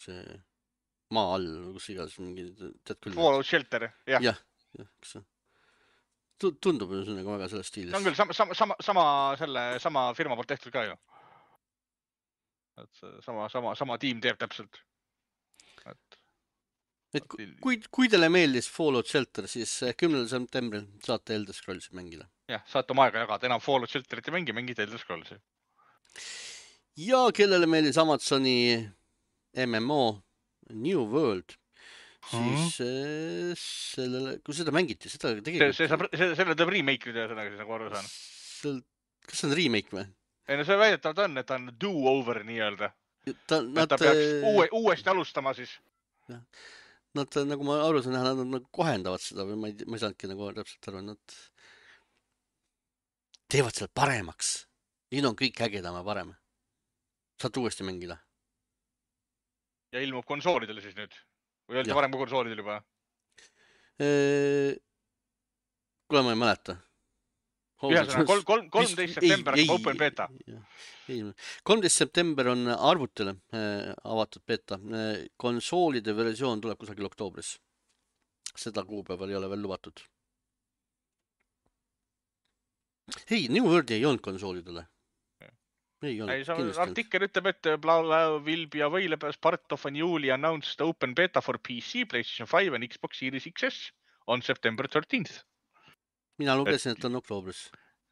See maa all, kus igas mingi... Fallout Shelter, jah. Jah, kas see... Tundub ju nagu väga selles stiilis. See on küll sama firma poolt tehtud ka ju. Et sama tiim teeb täpselt. Et kui teile meeldis Fallout Shelter, siis 10. septembril saate Elder Scrollsi mängida. Jah, saate oma aega jagada. Enam Fallout Shelterit ei mängida Elder Scrollsi. Ja kellele meeldis Amazoni MMO New World, siis sellele, kui seda mängiti, seda tegelikult... Selle tuleb remake üle, siis nagu aru saan. Kas see on remake või? Ei, no see väidetavalt on, et ta on do-over nii-öelda. Ta peaks uuesti alustama siis. Nad, nagu ma aru saan, nad kohendavad seda või ma ei saanudki nagu täpselt aru, nad teevad selle paremaks. Nüüd on kõik ägedam ja parem. Saad uuesti mängida. Ja ilmub konsoolidele siis nüüd? Või öeldi varem kui konsoolidel juba? Kuule, ma ei mäleta. 13. september on open beta. 13. september on arvutile avatud beta. Konsoolide versioon tuleb kusagil oktoobris. Seda kuupäeval ei ole veel lubatud. Ei, New World ei olnud konsoolidele. Ei olnud. Artikkel ütleb, et Blau will be available as part of a newly announced open beta for PC, PlayStation 5 and Xbox Series XS on September 13th. Mina lugesin, et on oktoobris.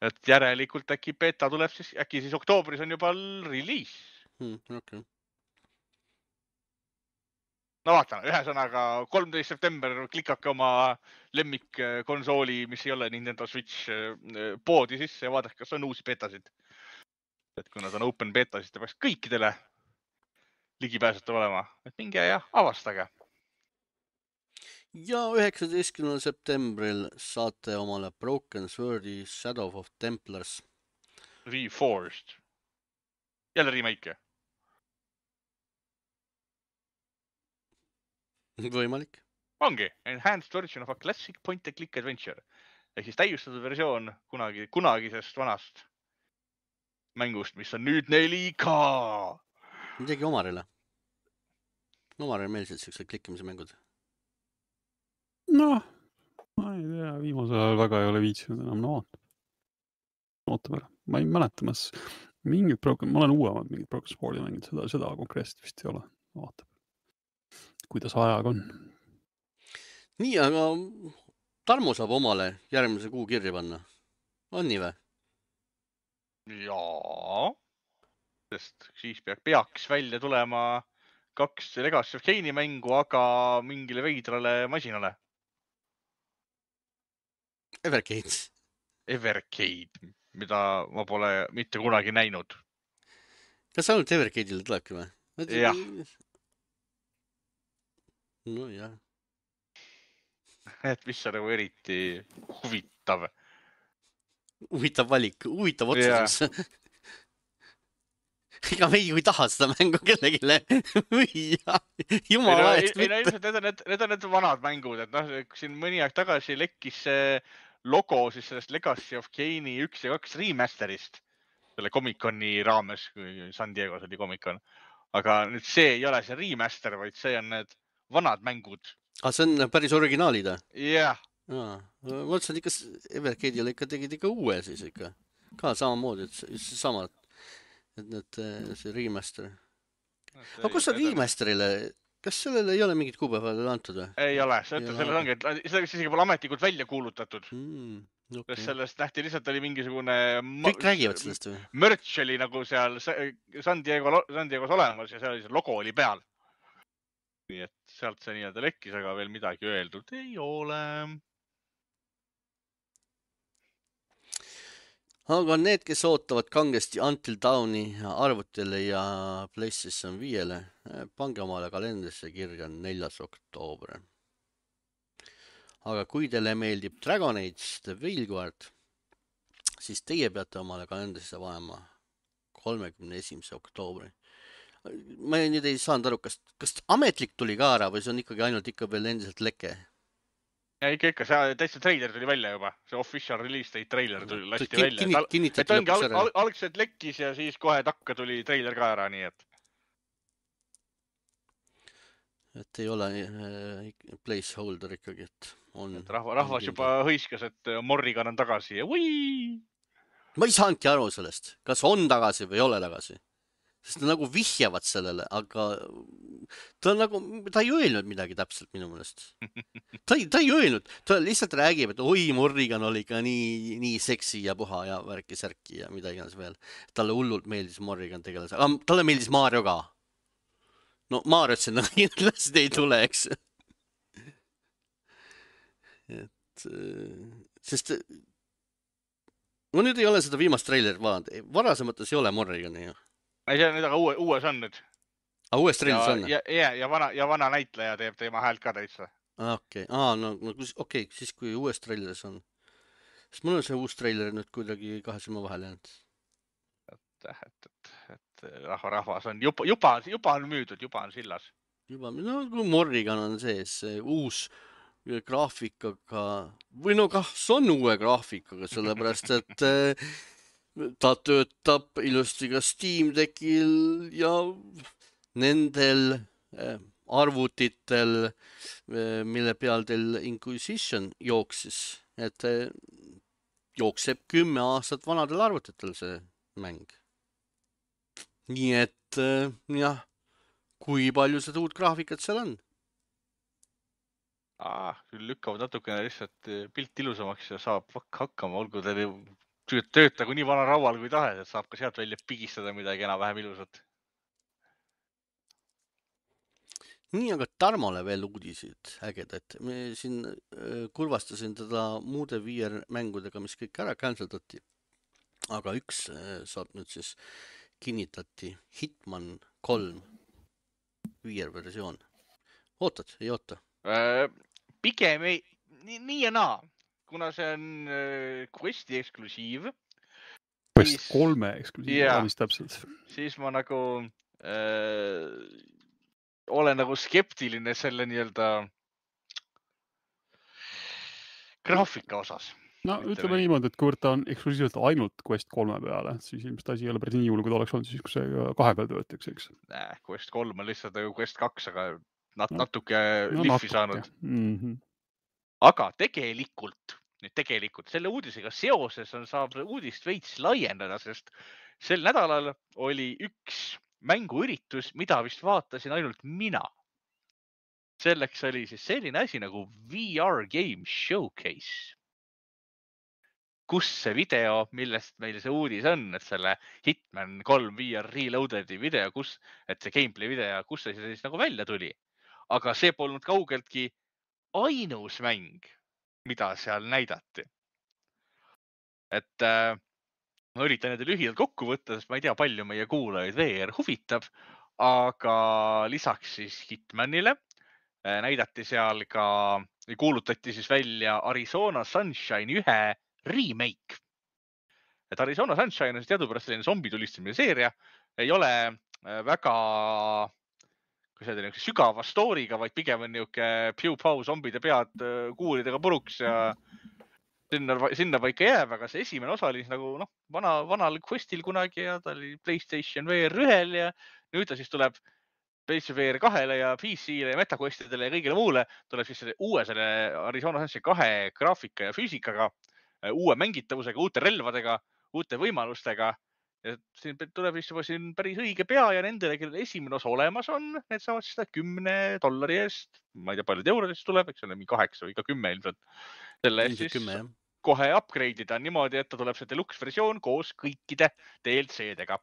Et järelikult äkki beta tuleb siis, äkki siis oktoobris on juba release. Okay. No vaatame, ühesõnaga 13. september klikake oma lemmik konsooli, mis ei ole Nintendo Switch poodi sisse ja vaadake, kas on uusi betasid. Et kui nad on open beta, siis ta peaks kõikidele ligipääsetav olema. Et minge ja avastage. Ja 19. septembril saate omale Broken Swordi Shadow of Templars. Reforged. Jälle remake. Võimalik. Ongi. Enhanced version of a classic point-and-click adventure. Ehk siis täiustatud versioon kunagisest vanast mängust, mis on nüüd 4K. Midagi Omarile. Omarile meeldisid sellised klikkimise mängud. Noh, ma ei tea, viimasel ajal väga ei ole viitsinud enam ootab ära. Ma ei mäleta, ma olen uuemad mingid Broken Swordi mängid, seda konkreetselt vist ei ole. Vaatab, kuidas ajaga on. Nii, aga Tarmo saab omale järgmise kuu kirja panna. On nii või? Jaa, sest siis peaks välja tulema 2 Legacy of Kane'i mängu, aga mingile veidrale masinale. Evercade, mida ma pole mitte kunagi näinud. Kas ainult Evercade'ile tulebki või? Jah. No jah. Et mis on nagu eriti huvitav. Huvitav valik, huvitav otsus. Ega me ei taha seda mängu kellegile müüa. Jumala eest mitte. Need on need vanad mängud, et siin mõni aeg tagasi lekkis see logo siis sellest Legacy of Kane'i 1 ja 2 remasterist. Selle Comic-Coni raames, kui San Diegos oli Comic-Con. Aga nüüd see ei ole see remaster, vaid see on need vanad mängud. See on päris originaalid? Jah. Ma mõtlesin, ikka Evercade'il ikka tegid ikka uue siis ikka. Ka samamoodi, et sama, et see remaster. Aga kus on remasterile? Kas sellele ei ole mingit kuupäeva antud või? Ei ole, selles ongi, et seda isegi pole ametlikult välja kuulutatud. Okay. Sellest nähti lihtsalt oli mingisugune... Kõik räägivad sellest või? Merch oli nagu seal San Diego's olemas ja seal logo oli peal. Nii et sealt see nii-öelda lekkis, aga veel midagi öeldud ei ole. Aga need, kes ootavad kangesti Until Dawni arvutile ja PlayStation 5-le, pange omale kalendrisse kirja 4. oktoober. Aga kui teile meeldib Dragon Age The Veilguard, siis teie peate omale kalendrisse panema 31. oktoobri. Ma nüüd ei saanud aru, kas ametlik tuli ka ära või see on ikkagi ainult ikka veel endiselt leke? Ja ikka, see täitsa treiler tuli välja juba. See official release date treiler tuli lasti välja. Et ongi algselt lekkis ja siis kohe takka tuli treiler ka ära, nii et. Et ei ole placeholder ikkagi, et on. Et rahvas juba hõiskas, et Morrigan on tagasi ja või! Ma ei saanudki aru sellest, kas on tagasi või ei ole tagasi. Sest ta nagu vihjavad sellele, aga ta ei öelnud midagi täpselt minu meelest. Ta ei öelnud, ta lihtsalt räägib, et oi, Morrigan oli ka nii seksi ja puha ja värki-särki ja mida iganes veel. Talle hullult meeldis Morrigan tegeles, aga talle meeldis Mario ka. No Mario sinna kindlasti ei tule, eks. Sest ma nüüd ei ole seda viimast treilerit vaadanud. Varasemates ei ole Morrigani ju. Ei, see on nüüd aga uues on nüüd. Uues treilis on? Ja vana näitleja teeb teema häält ka täitsa. Okei, siis kui uues treilis on. Sest mul on see uus treiler nüüd kuidagi kahe silma vahel jäänud. Et rahvas on juba on müüdud, juba on sillas. No kui Morrigan on sees, uus graafikaga, või no kas on uue graafikaga, sellepärast et ta töötab ilusti ka Steam Deckil ja nendel arvutitel, mille peal teil Inquisition jooksis, et jookseb 10 aastat vanadel arvutitel see mäng. Nii et jah, kui palju seda uut graafikat seal on? Küll lükkavad natukene lihtsalt pilt ilusamaks ja saab hakkama, olgu teil töötagu nii vana raual kui tahes, et saab ka sealt välja pigistada midagi enam-vähem ilusat. Nii, aga Tarmole veel uudisid ägedad. Me siin kurvastasin teda muude VR mängudega, mis kõik ära canceldati. Aga üks saab nüüd siis kinnitati Hitman 3 VR versioon. Ootad, ei oota? Pigem ei, nii ja naa. Kuna see on Questi eksklusiiv. Quest 3 eksklusiiv, mis täpselt. Siis ma nagu olen nagu skeptiline selle nii-öelda graafika osas. No ütleme niimoodi, et kuivõrd ta on eksklusiivselt ainult Quest 3 peale, siis ilmselt asi ei ole päris nii hull, kui ta oleks olnud siis, kui see 2 peal töötaks, eks? Quest 3 on lihtsalt nagu Quest 2, aga natuke liffi saanud. Aga tegelikult selle uudisega seoses saab uudist veits laiendada, sest sel nädalal oli üks mänguüritus, mida vist vaatasin ainult mina. Selleks oli siis selline asi nagu VR Game Showcase, kus see video, millest meil see uudis on, et selle Hitman 3 VR Reloadedi video, et see gameplay video, kus see siis nagu välja tuli. Aga see polnud kaugeltki ainus mäng, mida seal näidati. Et ma üritan need lühidalt kokku võtta, sest ma ei tea, palju meie kuulajaid VR huvitab, aga lisaks siis Hitmanile näidati seal ka, kuulutati siis välja Arizona Sunshine 1 remake. Et Arizona Sunshine on teadupärast selline zombitulistamise seeria, ei ole väga sügava story'ga, vaid pigem on niuke piu-pau zombide pead kuulidega puruks ja sinna paika jääb, aga see esimene osa oli nagu vanal Questil kunagi ja ta oli PlayStation VR 1 ja nüüd ta siis tuleb PlayStation VR 2-le ja PC-le ja MetaQuestidele ja kõigile muule tuleb siis selle Arizona Sunshine 2 graafika ja füüsikaga, uue mängitavusega, uute relvadega, uute võimalustega. Ja siin tuleb vist juba siin päris õige pea ja nendele, kellel esimene osa olemas on, need saavad seda $10 eest. Ma ei tea, palju eurodest tuleb, eks ole, 8 või ka 10 ilmselt. Selle eest siis 10, kohe upgrade'ida niimoodi, et ta tuleb see deluxe versioon koos kõikide DLC-dega.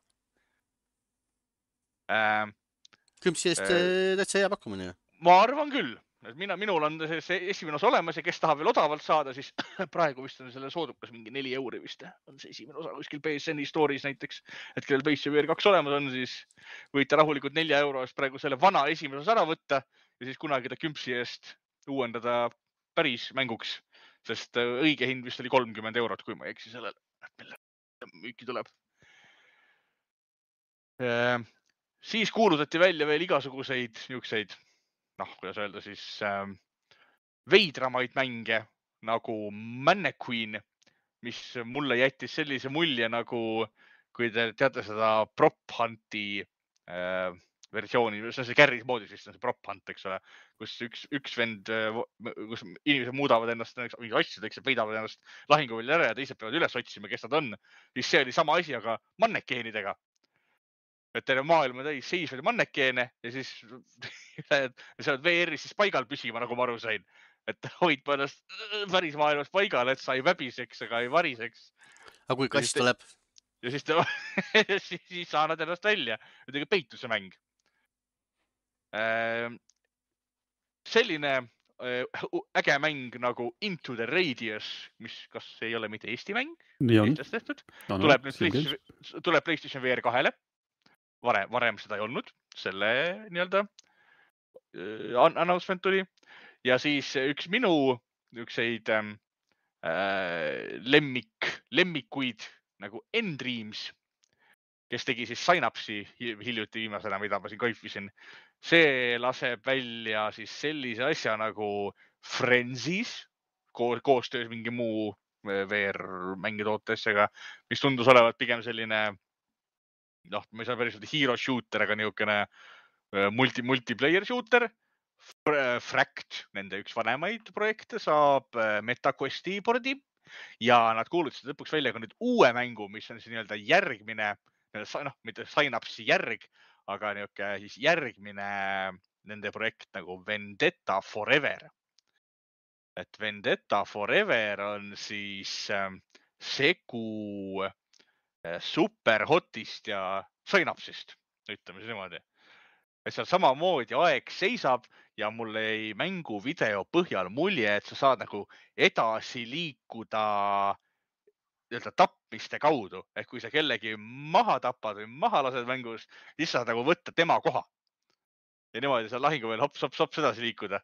Kümpsi eest täitsa hea pakkumine. Ma arvan küll. Minul on see esimene osa olemas ja kes tahab veel odavalt saada, siis praegu vist on selle soodukas mingi €4 vist. On see esimene osa kuskil PSN Store'is näiteks. Et kellel PlayStation VR 2 olemas on, siis võite rahulikult €4 eest praegu selle vana esimese osa ära võtta ja siis kunagi ta kümpsi eest uuendada päris mänguks. Sest õige hind vist oli €30, kui ma ei eksi sellele. Müüki tuleb. Siis kuulutati välja veel igasuguseid niisuguseid, kuidas öelda siis, veidramaid mänge nagu Mannequin, mis mulle jättis sellise mulje nagu, kui te teate seda Prop Hunti versiooni, see on see Garry's moodis vist on see Prop Hunt, eks ole, kus üks vend, kus inimesed muudavad ennast mingi asjadeks ja peidavad ennast lahinguvälja ära ja teised peavad üles otsima, kes nad on. Siis see oli sama asi, aga mannekeenidega. Et terve maailm on täis seisvaid mannekeene ja siis sa oled VR-is siis paigal püsima, nagu ma aru sain. Et hoid ennast päris maailmas paigal, et sa ei väbiseks ega ei variseks. Aga kui kass tuleb? Ja siis saanad ennast välja. Ütlegi peituse mäng. Selline äge mäng nagu Into the Radius, mis kas ei ole mitte Eesti mäng, tuleb PlayStation VR 2-le. Varem seda ei olnud, selle nii-öelda announcement tuli. Ja siis üks minu ükseid lemmikuid nagu N-Dreams, kes tegi siis Synapse'i hiljuti viimasena, mida ma siin kaifisin. See laseb välja siis sellise asja nagu Frenzies, koostöös mingi muu VR-mängitootesega, mis tundus olevat pigem selline, ma ei saa päris öelda hero shooter, aga niisugune multiplayer shooter. Fract, nende üks vanemaid projekte, saab MetaQuesti pordi ja nad kuulutasid lõpuks välja ka nüüd uue mängu, mis on siis nii-öelda järgmine, mitte Synapse'i järg, aga niisugune siis järgmine nende projekt nagu Vendetta Forever. Et Vendetta Forever on siis segu Superhotist ja Synapse'ist, ütleme siis niimoodi. Et seal samamoodi aeg seisab ja mul jäi mängu video põhjal mulje, et sa saad nagu edasi liikuda tapmiste kaudu. Et kui sa kellegi maha tapad või maha lased mängus, siis saad nagu võtta tema koha. Ja niimoodi sa lahingu veel hops edasi liikuda.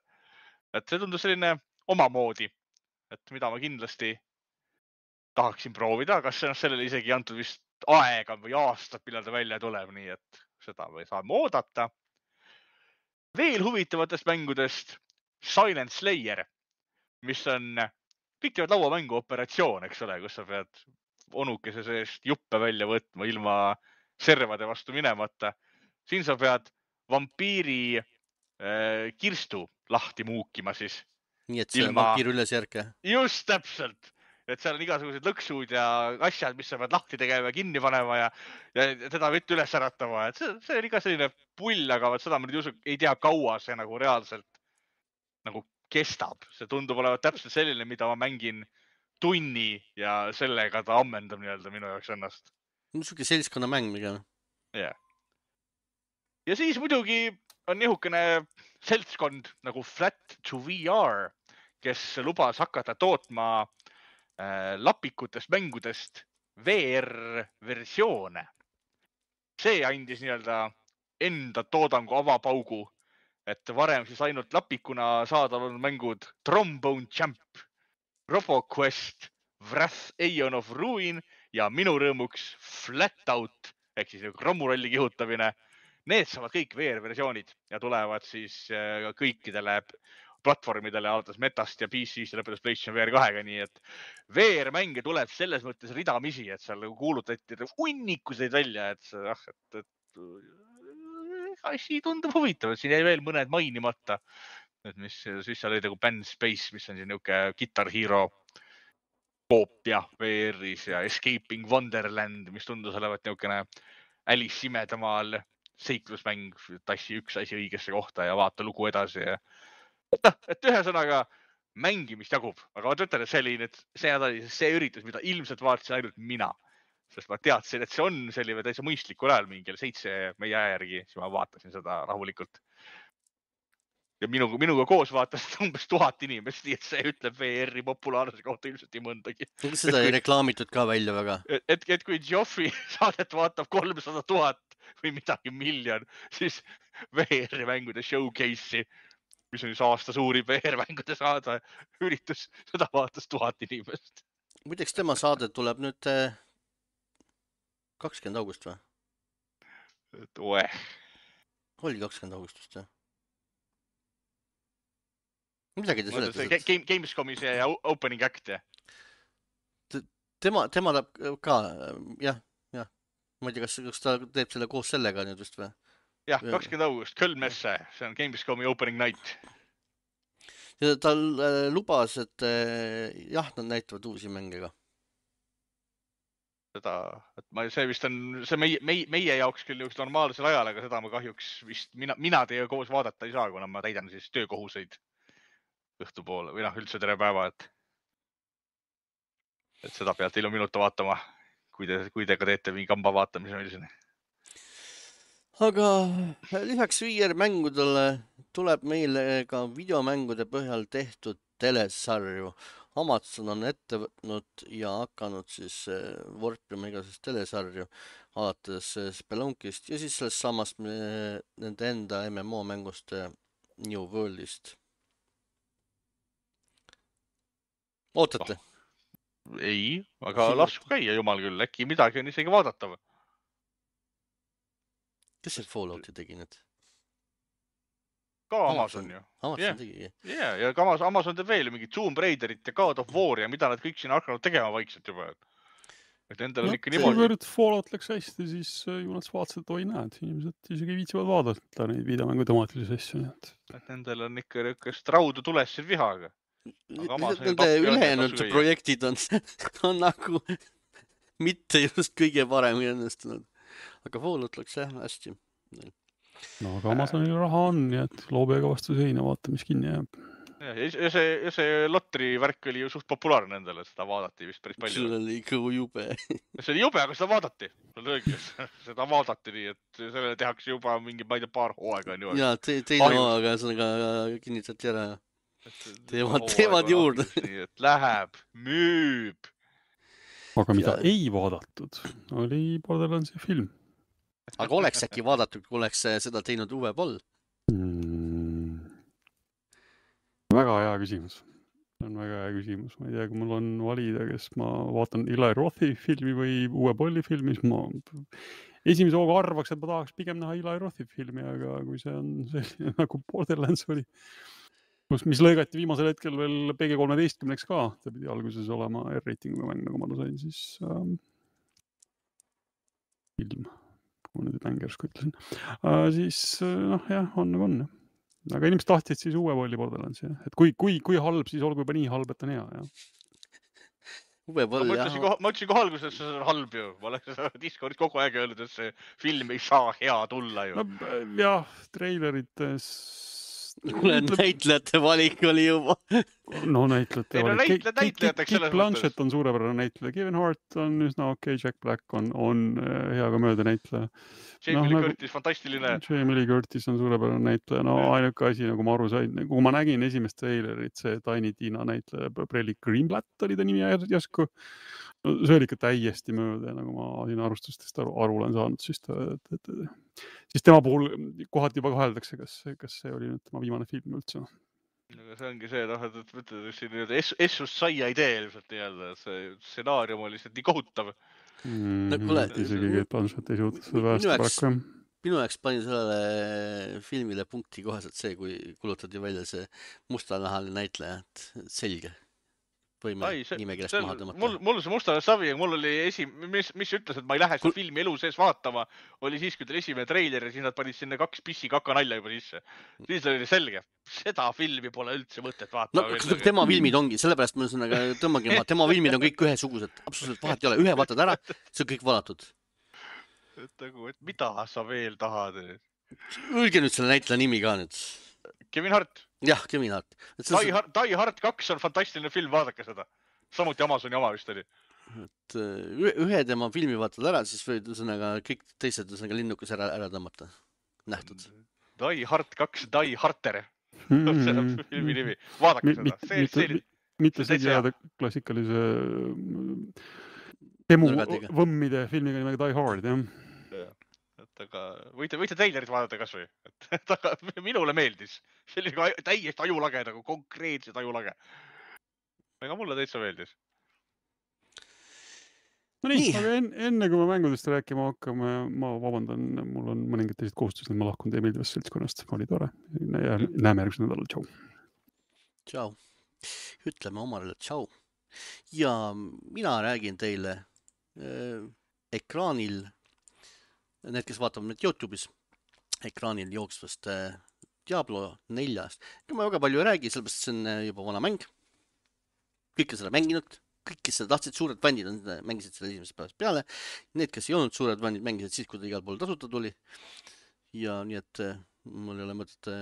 Et see tundus selline omamoodi, et mida ma kindlasti tahaksin proovida, kas sellele isegi antud vist aega või aastat, millal ta välja tuleb, nii et seda me saame oodata. Veel huvitavatest mängudest Silent Slayer, mis on pikkivad lauamängu operatsioon, eks ole, kus sa pead onukese seest juppe välja võtma ilma servade vastu minemata. Siin sa pead vampiiri kirstu lahti muukima siis. Nii et see on vampiir üles järke. Just täpselt. Et seal on igasugused lõksud ja asjad, mis sa pead lahti tegema ja kinni panema ja teda võtta üles äratama. Et see on iga selline pull, aga seda ma nüüd ei tea kaua see nagu reaalselt nagu kestab. See tundub olevat täpselt selline, mida ma mängin tunni ja sellega ta ammendab nii-öelda minu jaoks ennast. Niisugune seltskonna mäng pigem. Yeah. Ja siis muidugi on nihukene seltskond nagu Flat to VR, kes lubas hakata tootma lapikutest mängudest VR-versioone. See andis nii-öelda enda toodangu avapaugu, et varem siis ainult lapikuna saadaval mängud Trombone Champ, RoboQuest, Wrath Aeon of Ruin ja minu rõõmuks Flatout ehk siis rommuralli kihutamine. Need saavad kõik VR-versioonid ja tulevad siis kõikidele platvormidele alates Metast ja PC-st ja lõpetas PlayStation VR 2-ga, nii et VR-mänge tuleb selles mõttes ridamisi, et seal kuulutati unnikuseid välja, et asi tundub huvitav, siin jäi veel mõned mainimata. Et mis siis seal oli nagu Band Space, mis on siin niuke Guitar Hero koopia VR-is ja Escaping Wonderland, mis tundus olevat niukene Alice imedamaal seiklusmäng, tassi üks asi õigesse kohta ja vaata lugu edasi. Et ühesõnaga mängimist jagub, aga ma ütlen, et see oli nüüd see üritus, mida ilmselt vaatasin ainult mina. Sest ma teadsin, et see on selline täitsa mõistlikul ajal mingil 7 meie aja järgi, siis ma vaatasin seda rahulikult. Ja minuga koos vaatas umbes 1000 inimest, nii et see ütleb VR-i populaarsuse kohta ilmselt nii mõndagi. Seda ei reklaamitud ka välja väga. Et kui Geoffi saadet vaatab 300 000 või midagi miljon, siis VR-i mängude showcase'i, mis on just aasta suurim VR-mängude saada üritus, seda vaatas 1000 inimest. Muideks tema saade tuleb nüüd 20 august või? Oli 20 augustust, jah? Midagi te seletas. Gamescomi see opening act, jah? Tema läheb ka, jah. Ma ei tea, kas ta teeb selle koos sellega nüüd vist või? Jah, 20 august, Kölmesse, see on Gamescomi opening night. Ja ta lubas, et jah, nad näitavad uusi mänge ka. See vist on see meie jaoks küll üks normaalsel ajal, aga seda ma kahjuks vist mina teiega koos vaadata ei saa, kuna ma täidan siis töökohuseid õhtupoole või üldse tere päeva, et seda pealt ilu minuta vaatama, kui te ka teete mingi kamba vaatamise meil siin. Aga lisaks VR-mängudele tuleb meile ka videomängude põhjal tehtud telesarju. Amazon on ette võtnud ja hakanud siis vorpima igasest telesarju alates Spelunkist ja siis sellest samast nende enda MMO mängust New Worldist. Ootate? Ei, aga lasku käia, jumal küll, äkki midagi on isegi vaadatav. Kes see Fallouti tegi nüüd? Ka Amazon ju. Amazon tegi. Ja Amazon teeb veel mingid Tomb Raiderit ja God of War ja mida nad kõik siin hakanud tegema vaikselt juba. Et endal on ikka niimoodi. Kuivõrd Fallout läks hästi, siis ju nad vaatasid, et oi näed, inimesed isegi viitsivad vaadata neid videomängu temaatilisi asju. Et endal on ikka rõkkast raudu tules siin vihaga. Nende ülejäänud projektid on nagu mitte just kõige paremini õnnestunud. Aga Fallout läks jah hästi. No aga Amazonil raha on, nii et loobega vastu seina, vaata, mis kinni jääb. Ja see lotri värk oli ju suht populaarne endale, seda vaadati vist päris palju. See oli ikka jube. See oli jube, aga seda vaadati. Seda vaadati nii, et sellele tehakse juba mingi paar hooaega. Jaa, teine hooaega kinnitati ära. Teevad juurde. Et läheb, müüb. Aga mida ei vaadatud, oli Borderlandsi film. Aga oleks äkki vaadatud, kui oleks seda teinud Uwe Boll? Väga hea küsimus. See on väga hea küsimus. Ma ei tea, kui mul on valida, kes ma vaatan Eli Rothi filmi või Uwe Bolli filmi, siis ma esimese hooga arvaks, et ma tahaks pigem näha Eli Rothi filmi, aga kui see on selline nagu Borderlands oli, mis lõigati viimasel hetkel veel PG-13 ka, ta pidi alguses olema R-ratinguga mäng, nagu ma sain, siis film, kui ma nüüd mängersku ütlesin. Siis jah, on nagu on. Aga inimesed tahtsid siis Uwe Bolli Borderlandsi. Et kui halb, siis olgu juba nii halb, et on hea. Uwe Boll, jah. Ma ütlesin kohe alguses, et see on halb ju. Ma olen Discordis kogu aeg öelnud, et see film ei saa hea tulla ju. Jah, treilerites... Kuule, näitlejate valik oli juba. No näitlejate valik. Kate Blanchett on suurepärane näitleja. Kevin Hart on üsna okei, Jack Black on hea ka mööda näitleja. Jamie Lee Curtis, fantastiline. Jamie Lee Curtis on suurepärane näitleja. No ainuke asi, nagu ma aru sain, kui ma nägin esimest trailerit, see Tiny Tina näitleja, Brelli Greenblatt oli ta nimi järsku. See oli ikka täiesti mööda ja nagu ma siin arvustustest aru olen saanud, siis tema puhul kohati juba kaheldakse, kas see oli nüüd tema viimane film üldse. Aga see ongi see, et Essus saia idee ilmselt nii-öelda, see stsenaarium oli lihtsalt nii kohutav. Isegi Kate Blanchett ei suuda seda vähest paraku. Minu jaoks pani sellele filmile punkti koheselt see, kui kulutati välja see mustanahaline näitleja, et selge. võime nimekirjast maha tõmmata. Mul see Musta savi, mul oli mis ütles, et ma ei lähe seda filmi elu sees vaatama, oli siis, kui teil esimene treiler ja siis nad panid sinna 2 pissi-kaka nalja juba sisse. Siis oli selge, seda filmi pole üldse mõtet vaatama. No, tema filmid ongi, sellepärast ma tõmmagi maha, tema filmid on kõik ühesugused, absoluutselt vahet ei ole, ühe vaatad ära, see on kõik valatud. Et mida sa veel tahad? Öelge nüüd selle näitleja nimi ka nüüd. Kevin Hart. Jah, Kevin Hart. Die Hard 2 on fantastiline film, vaadake seda. Samuti Amazoni oma vist oli. Et ühe tema filmi vaatad ära, siis võid kõik teised linnukas ära tõmmata. Nähtud. Die Hard 2, Die Harter. See on filmi nimi. Vaadake seda. Mitte see teada klassikalise demo võmmide filmiga nimega Die Hard, jah. Aga võite treilerit vaadata kas või. Minule meeldis. See oli täiesti ajulage, nagu konkreetselt ajulage. Aga mulle täitsa meeldis. No nii, aga enne kui me mängudest rääkima hakkame, ma vabandan, mul on mõningad teised kohustused, ma lahkun teie meeldivast seltskonnast. Oli tore. Näeme järgmisel nädalal. Tšau. Tšau. Ütleme omarele tšau. Ja mina räägin teile ekraanil need, kes vaatavad meid YouTube'is, ekraanil jooksvast Diablo 4-st. Ma väga palju ei räägi, sellepärast see on juba vana mäng. Kõik on seda mänginud, kõik, kes seda tahtsid, suured fännid mängisid selle esimesest päevast peale. Need, kes ei olnud suured fännid, mängisid siis, kui ta igal pool tasuta tuli. Ja nii, et mul ei ole mõtet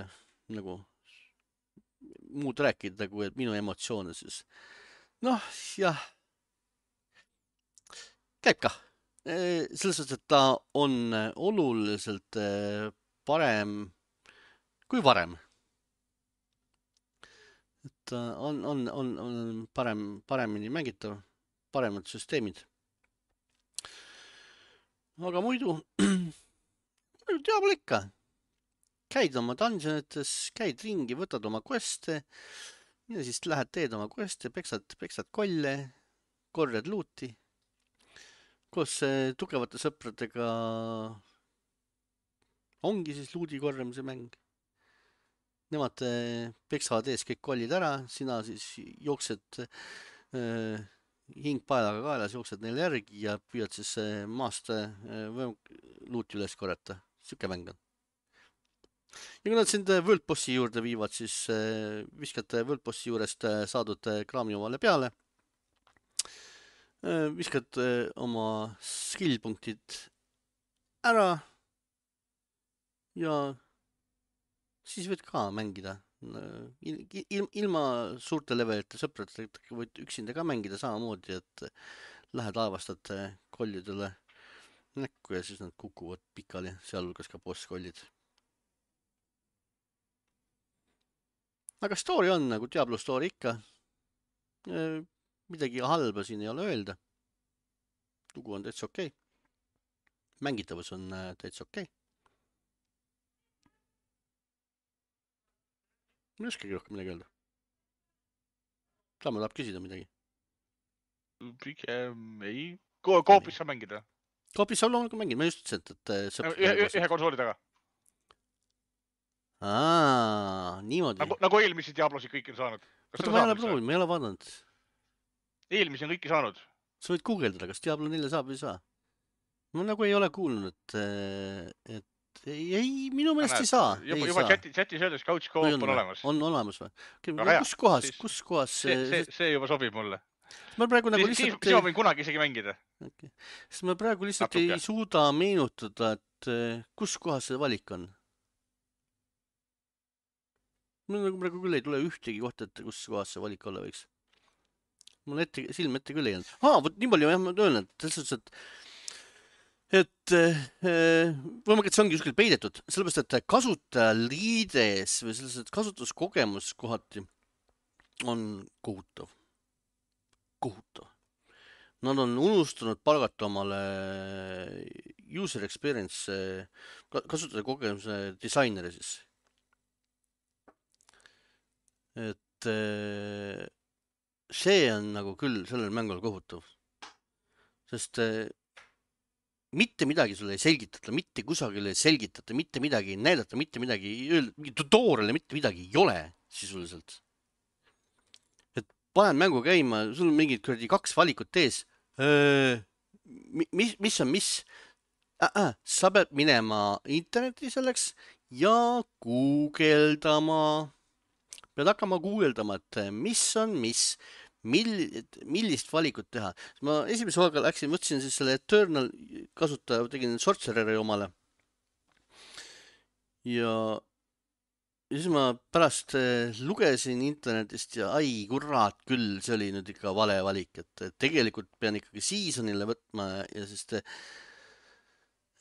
nagu muud rääkida, kui et minu emotsioone siis. Noh, jah. Käib ka. Selles suhtes, et ta on oluliselt parem kui varem. Et on paremini mängitav, paremad süsteemid. Aga muidu Diablo ikka. Käid oma dungeonites, käid ringi, võtad oma queste ja siis lähed teed oma queste, peksad kolle, korjad luuti. Koos tugevate sõpradega ongi siis luudi korjamise mäng. Nemad peksavad ees kõik kollid ära, sina siis jooksed hing paelaga kaelas, jooksed neile järgi ja püüad siis maast luuti üles korjata. Siuke mäng on. Ja kui nad sind World Bossi juurde viivad, siis viskad World Bossi juurest saadud kraami omale peale. Viskad oma skill-punktid ära ja siis võid ka mängida. Ilma suurte levelite sõpradega võid üksinda ka mängida samamoodi, et lähed aevastad kollidele näkku ja siis nad kukuvad pikali, sealhulgas ka boss-kollid. Aga story on nagu Diablo story ikka. Midagi halba siin ei ole öelda. Lugu on täitsa okei. Mängitavus on täitsa okei. Ma ei oskagi rohkem midagi öelda. Saame tahab küsida midagi. Pigem ei. Koopis saab mängida? Koopis saab loomulikult mängida. Ma just ütlesin, et ühe konsooli taga. Niimoodi. Nagu eelmisi Diablosid kõik on saanud. Ma ei ole proovinud, ma ei ole vaadanud. Eelmisi on kõiki saanud. Sa võid guugeldada, kas Diablo 4 saab või ei saa. Ma nagu ei ole kuulnud, et ei, minu meelest ei saa. Juba chatis öeldes couch co-op on olemas. On olemas või? Kus kohas? See juba sobib mulle. Ma praegu nagu lihtsalt... Siis ma võin kunagi isegi mängida. Sest ma praegu lihtsalt ei suuda meenutada, et kus kohas see valik on. Mul nagu praegu küll ei tule ühtegi kohta, et kus kohas see valik olla võiks. Mul silm ette küll ei olnud. Võt nii palju jah, ma öelnud, et võimalik, et see ongi kuskil peidetud, sellepärast, et kasutajaliides või sellised kasutuskogemus kohati on kohutav. Nad on unustanud palgata omale user experience kasutaja kogemuse disaineri siis. Et see on nagu küll sellel mängul kohutav. Sest mitte midagi sulle ei selgitata, mitte kusagil ei selgitata, mitte midagi ei näidata, mitte midagi ei öelda, tutorial'e mitte midagi ei ole sisuliselt. Et paned mängu käima, sul on mingid kuradi 2 valikut ees. Mis on mis? Sa pead minema interneti selleks ja guugeldama. Pead hakkama guugeldama, et mis on mis, millist valikut teha. Ma esimese hooga võtsin siis selle Eternal kasutaja, tegin Sorcereri omale. Ja siis ma pärast lugesin internetist ja ai kurat küll, see oli nüüd ikka vale valik, et tegelikult pean ikkagi seasonile võtma ja sest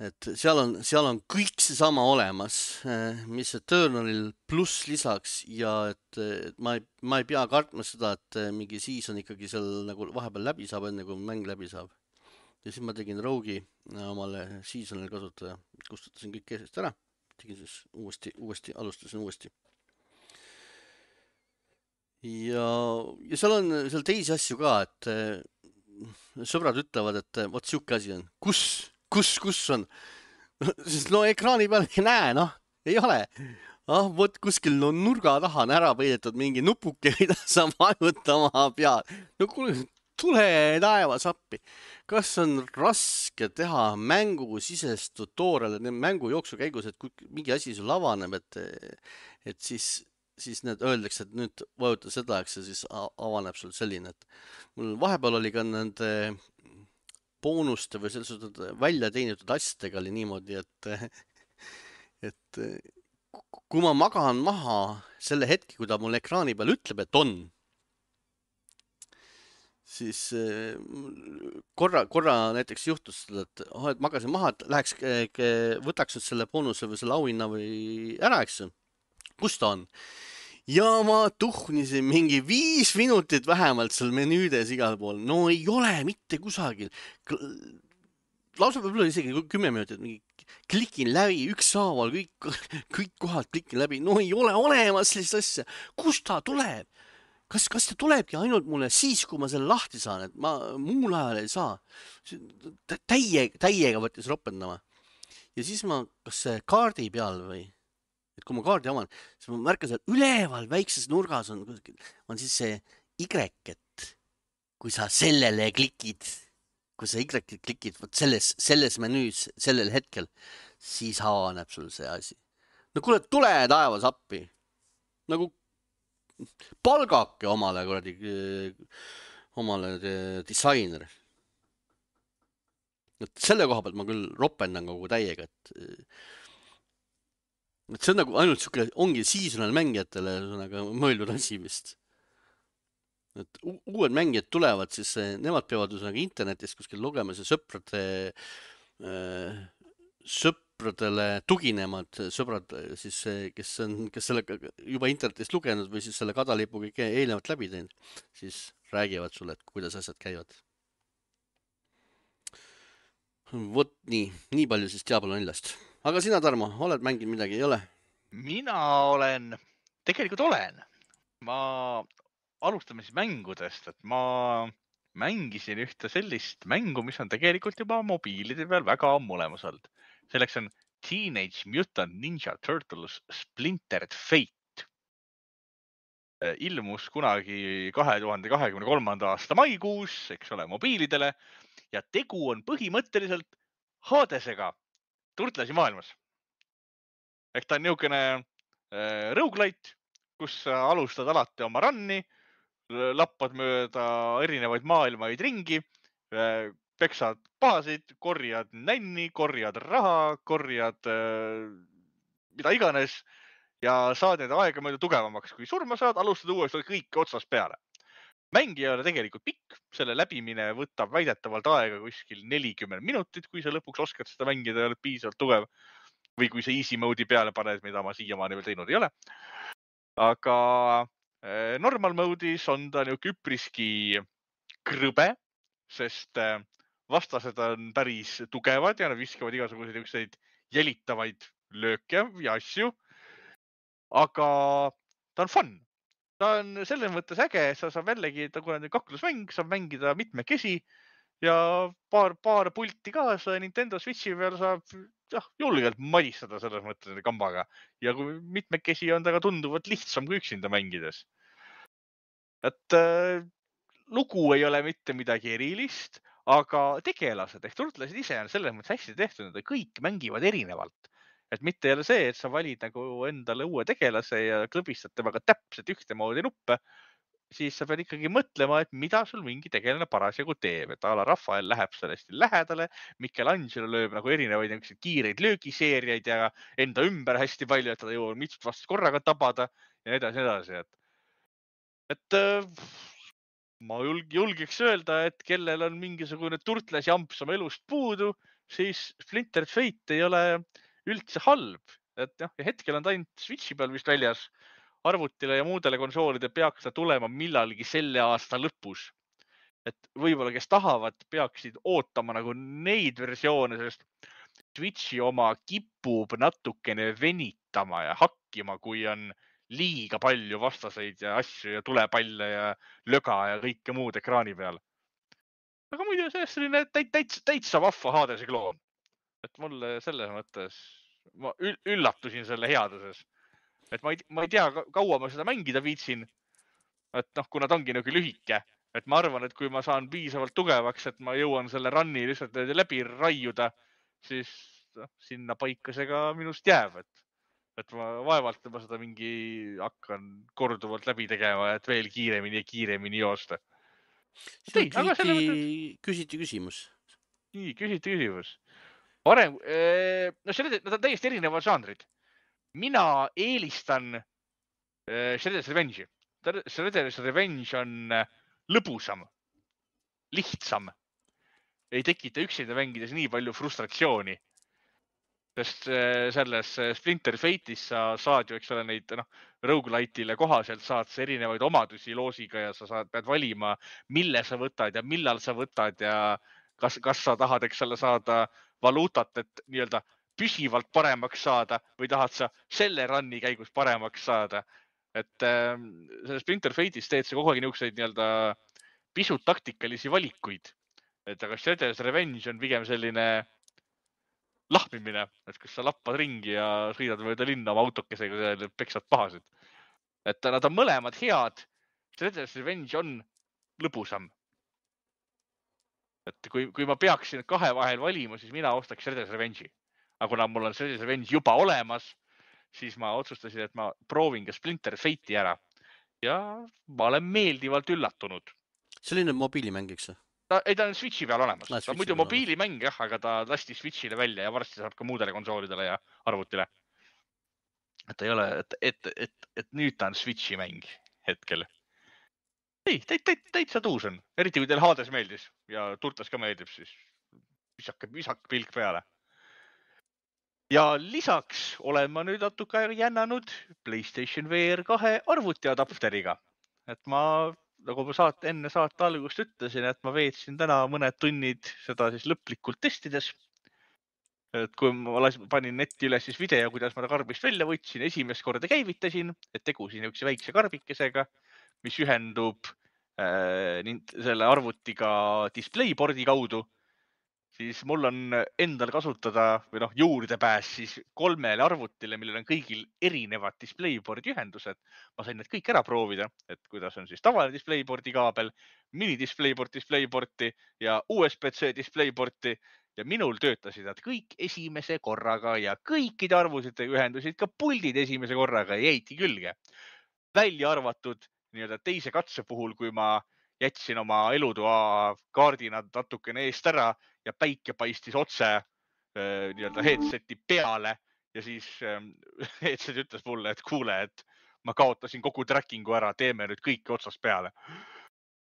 et seal on kõik seesama olemas, mis Eternalil pluss lisaks ja et ma ei pea kartma seda, et mingi season ikkagi seal nagu vahepeal läbi saab, enne kui mäng läbi saab. Ja siis ma tegin Rogue'i omale seasonil kasutaja, kustutasin kõik keesest ära. Tegin siis alustasin uuesti. Ja seal on teisi asju ka, et sõbrad ütlevad, et vot siuke asi on. Kus on? Sest no ekraani peal ei näe, noh, ei ole. Vot kuskil nurga taha on ära peidetud mingi nupuke, mida sa vajutama pead. No kuule, tule taevas appi. Kas on raske teha mängusisest tutorial, mängu jooksu käigus, et kui mingi asi sul avaneb, et siis need öeldakse, et nüüd vajuta seda, eks ja siis avaneb sul selline, et mul vahepeal oli ka nende boonuste või sellised välja teenitud asjadega oli niimoodi, et kui ma magan maha selle hetki, kui ta mul ekraani peal ütleb, et on, siis korra näiteks juhtus seda, et magasin maha, et läheks, võtaks nüüd selle boonuse või selle auhinna või ära, eks ju. Kus ta on? Ja ma tuhnisin mingi 5 minutit vähemalt seal menüüdes igal pool. No ei ole mitte kusagil. Lausa võib-olla isegi 10 minutit. Klikin läbi, ükshaaval, kõik kohad klikin läbi. No ei ole olemas sellist asja. Kust ta tuleb? Kas ta tulebki ainult mulle siis, kui ma selle lahti saan, et ma muul ajal ei saa? Täiega võttis ropendama. Ja siis ma, kas see kaardi peal või? Et kui ma kaardi avan, siis ma märkan seal üleval väikses nurgas on siis see Y-et. Kui sa sellele klikid, võt selles menüüs sellel hetkel, siis avaneb sul see asi. No kuule, tule taevas appi. Nagu palgake omale disainer. Et selle koha pealt ma küll ropendan kogu täiega, et see on nagu ainult siuke, ongi seasonal mängijatele mõeldud asi vist. Et uued mängijad tulevad, siis nemad peavad internetis kuskil lugemas ja sõpradele tuginemad sõbrad, siis, kes selle juba internetist lugenud või siis selle kadalipu kõik eelnevalt läbi teinud, siis räägivad sulle, et kuidas asjad käivad. Vot nii palju siis Diablo 4-st. Aga sina, Tarmo, oled mänginud midagi, ei ole? Mina tegelikult olen. Ma alustame siis mängudest, et ma mängisin ühte sellist mängu, mis on tegelikult juba mobiilide peal väga ammu olemas olnud. Selleks on Teenage Mutant Ninja Turtles Splintered Fate. Ilmus kunagi 2023. aasta maikuus, eks ole, mobiilidele ja tegu on põhimõtteliselt Hadesega Turtlesi maailmas. Ehk ta on niisugune roguelite, kus sa alustad alati oma runni, lappad mööda erinevaid maailmaid ringi, peksad pahasid, korjad nänni, korjad raha, korjad mida iganes ja saad need aega mööda tugevamaks. Kui surma saad, alustad uuesti kõik otsast peale. Mäng ei ole tegelikult pikk, selle läbimine võtab väidetavalt aega kuskil 40 minutit, kui sa lõpuks oskad seda mängida ja oled piisavalt tugev. Või kui sa easy mode'i peale paned, mida ma siiamaani veel teinud ei ole. Aga normal mode'is on ta üpriski krõbe, sest vastased on päris tugevad ja nad viskavad igasuguseid jälitavaid lööke ja asju. Aga ta on fun. Ta on selles mõttes äge, sa saab jällegi, kui on kaklusmäng, saab mängida mitmekesi ja paar pulti kaasa Nintendo Switchi peal saab julgelt madistada selles mõttes kambaga. Ja kui mitmekesi on ta ka tunduvalt lihtsam kui üksinda mängides. et lugu ei ole mitte midagi erilist, aga tegelased ehk turtlased ise on selles mõttes hästi tehtud, et kõik mängivad erinevalt. Et mitte ei ole see, et sa valid nagu endale uue tegelase ja klõbistad temaga täpselt ühtemoodi nuppe, siis sa pead ikkagi mõtlema, et mida sul mingi tegelane parasjagu teeb, et ala Rafael läheb sellest lähedale, Michelangelo lööb nagu erinevaid kiireid löögiseeriaid ja enda ümber hästi palju, et ta jõuab mitut vastast korraga tabada ja nii edasi. Et ma julgeks öelda, et kellel on mingisugune turtlasjamps oma elust puudu, siis Splinter Fate ei ole üldse halb. Et jah, hetkel on ta ainult Switchi peal vist väljas. Arvutile ja muudele konsoolide peaks ta tulema millalgi selle aasta lõpus. Et võib-olla, kes tahavad, peaksid ootama nagu neid versioone, sest Switchi oma kipub natukene venitama ja hakkima, kui on liiga palju vastaseid ja asju ja tulepalle ja löga ja kõike muud ekraani peal. Aga muidu sellest selline täitsa vahva Hadese kloon. Et mulle selles mõttes, ma üllatusin selle headuses. Et ma ei tea, kaua ma seda mängida viitsin. Et kuna ta ongi nagu lühike. Et ma arvan, et kui ma saan piisavalt tugevaks, et ma jõuan selle runni lihtsalt läbi raiuda, siis sinna paika see ka minust jääb. Et ma vaevalt ma seda mingi hakkan korduvalt läbi tegema, et veel kiiremini joosta. Küsiti küsimus. Nii, küsiti küsimus. Varem, nad on täiesti erinevad žanrid. Mina eelistan Shredder's Revenge'i. Shredder's Revenge on lõbusam, lihtsam. Ei tekita üksinda mängides nii palju frustratsiooni. Sest selles Splinter Fate'is sa saad ju, eks ole, neid roguelite'ile kohaselt saad sa erinevaid omadusi loosiga ja sa pead valima, mille sa võtad ja millal sa võtad ja kas sa tahad, eks ole, saada valuutat, et nii-öelda püsivalt paremaks saada või tahad sa selle runni käigus paremaks saada. Et selles Splinter Fate'is teed sa kogu aeg niisuguseid nii-öelda pisut taktikalisi valikuid. Et aga Shredder's Revenge on pigem selline lahmimine, et kus sa lappad ringi ja sõidad mööda linna oma autokesega ja peksad pahasid. Et nad on mõlemad head. Shredder's Revenge on lõbusam. Et kui ma peaksin kahe vahel valima, siis mina ostaks Shredder's Revenge'i. Aga kuna mul on Shredder's Revenge juba olemas, siis ma otsustasin, et ma proovin ka Splinter Fate'i ära. Ja ma olen meeldivalt üllatunud. Selline mobiilimäng, eks? Ei, ta on Switchi peal olemas. Ta on muidu mobiilimäng, jah, aga ta lasti Switchile välja ja varsti saab ka muudele konsoolidele ja arvutile. Et ei ole, et nüüd ta on Switchi mäng hetkel. Ei, täitsa tuus on. Eriti kui teil Hades meeldis ja Turtlas ka meeldib, siis visak pilk peale. Ja lisaks olen ma nüüd natuke jännanud PlayStation VR 2 arvutiadapteriga. Et ma, nagu ma enne saate algust ütlesin, et ma veetsin täna mõned tunnid seda siis lõplikult testides. Et kui ma panin netti üles siis video, kuidas ma ta karbist välja võtsin, esimest korda käivitasin, et tegusin üks väikse karbikesega, mis ühendub selle arvutiga displayboardi kaudu, siis mul on endal kasutada või juurdepääs siis 3 arvutile, millel on kõigil erinevad displayboardi ühendused. Ma sain need kõik ära proovida, et kuidas on siis tavaline displayboardi kaabel, displayboardi ja USB-C displayboardi ja minul töötasid nad kõik esimese korraga ja kõikide arvutitega ühendusid ka puldid esimese korraga ja jäiti külge. Välja arvatud nii-öelda teise katse puhul, kui ma jätsin oma elutoa kaardina natukene eest ära ja päike paistis otse nii-öelda headseti peale ja siis headset ütles mulle, et kuule, et ma kaotasin kogu trackingu ära, teeme nüüd kõike otsast peale.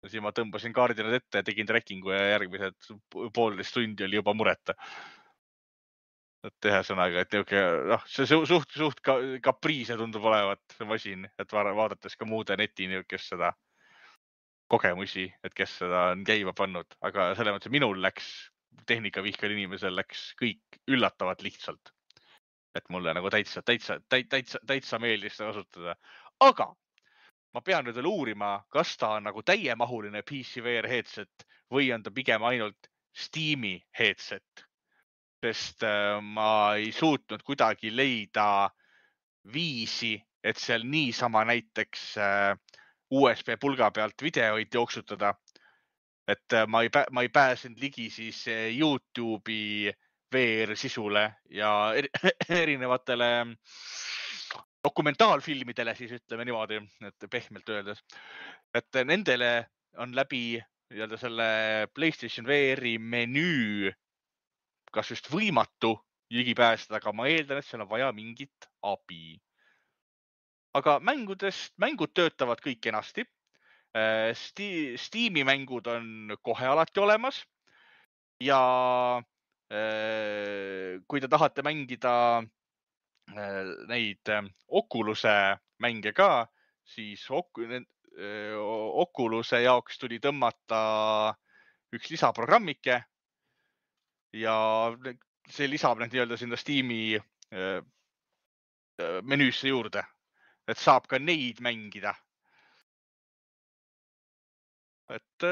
Ja siis ma tõmbasin kaardinad ette ja tegin trackingu ja järgmised 1,5 tundi oli juba mureta. Et ühesõnaga, et see suht kapriise tundub olevat see masin, et vaadates ka muude neti niisugust seda kogemusi, et kes seda on käima pannud, aga selle mõttes minul läks, tehnikavihkel inimesel läks kõik üllatavalt lihtsalt. Et mulle nagu täitsa meeldis seda kasutada. Aga ma pean nüüd veel uurima, kas ta on nagu täiemahuline PC VR headset või on ta pigem ainult Steam'i headset. Sest ma ei suutnud kuidagi leida viisi, et seal niisama näiteks USB pulga pealt videoid jooksutada. Et ma ei pääsenud ligi siis YouTube'i VR-sisule ja erinevatele dokumentaalfilmidele siis ütleme niimoodi, et pehmelt öeldes. Et nendele on läbi selle PlayStation VR-i menüü kas just võimatu ligi pääseda, aga ma eeldan, et seal on vaja mingit abi. Aga mängud töötavad kõik kenasti. Steam'i mängud on kohe alati olemas ja kui te tahate mängida neid Oculus'e mänge ka, siis Oculus'e jaoks tuli tõmmata üks lisaprogrammike ja see lisab need nii-öelda sinna Steam'i menüüsse juurde, et saab ka neid mängida. Et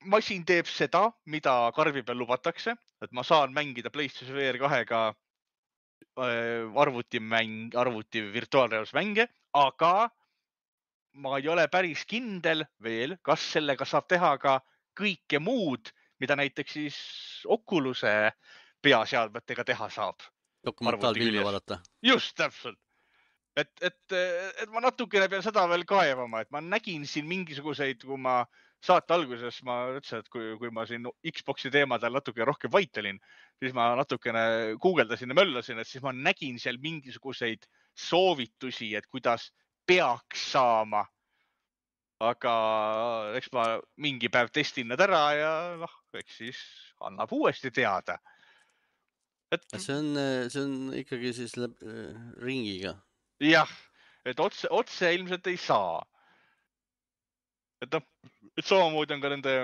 masin teeb seda, mida karvi peal lubatakse, et ma saan mängida PlayStation VR 2-ga arvuti virtuaalreaalsusmänge, aga ma ei ole päris kindel veel, kas sellega saab teha ka kõike muud, mida näiteks siis Oculus'e peaseadmetega teha saab. Dokumentaalfilmi vaadata. Just, täpselt. Et ma natukene pean seda veel kaevama, et ma nägin siin mingisuguseid, kui ma saate alguses ma ütlesin, et kui ma siin Xbox'i teemadel natuke rohkem vaitelin, siis ma natukene guugeldasin ja möllasin, et siis ma nägin seal mingisuguseid soovitusi, et kuidas peaks saama. Aga eks ma mingi päev testin need ära ja eks siis annab uuesti teada. See on ikkagi siis ringiga. Jah, et otse ilmselt ei saa. Et samamoodi on ka nende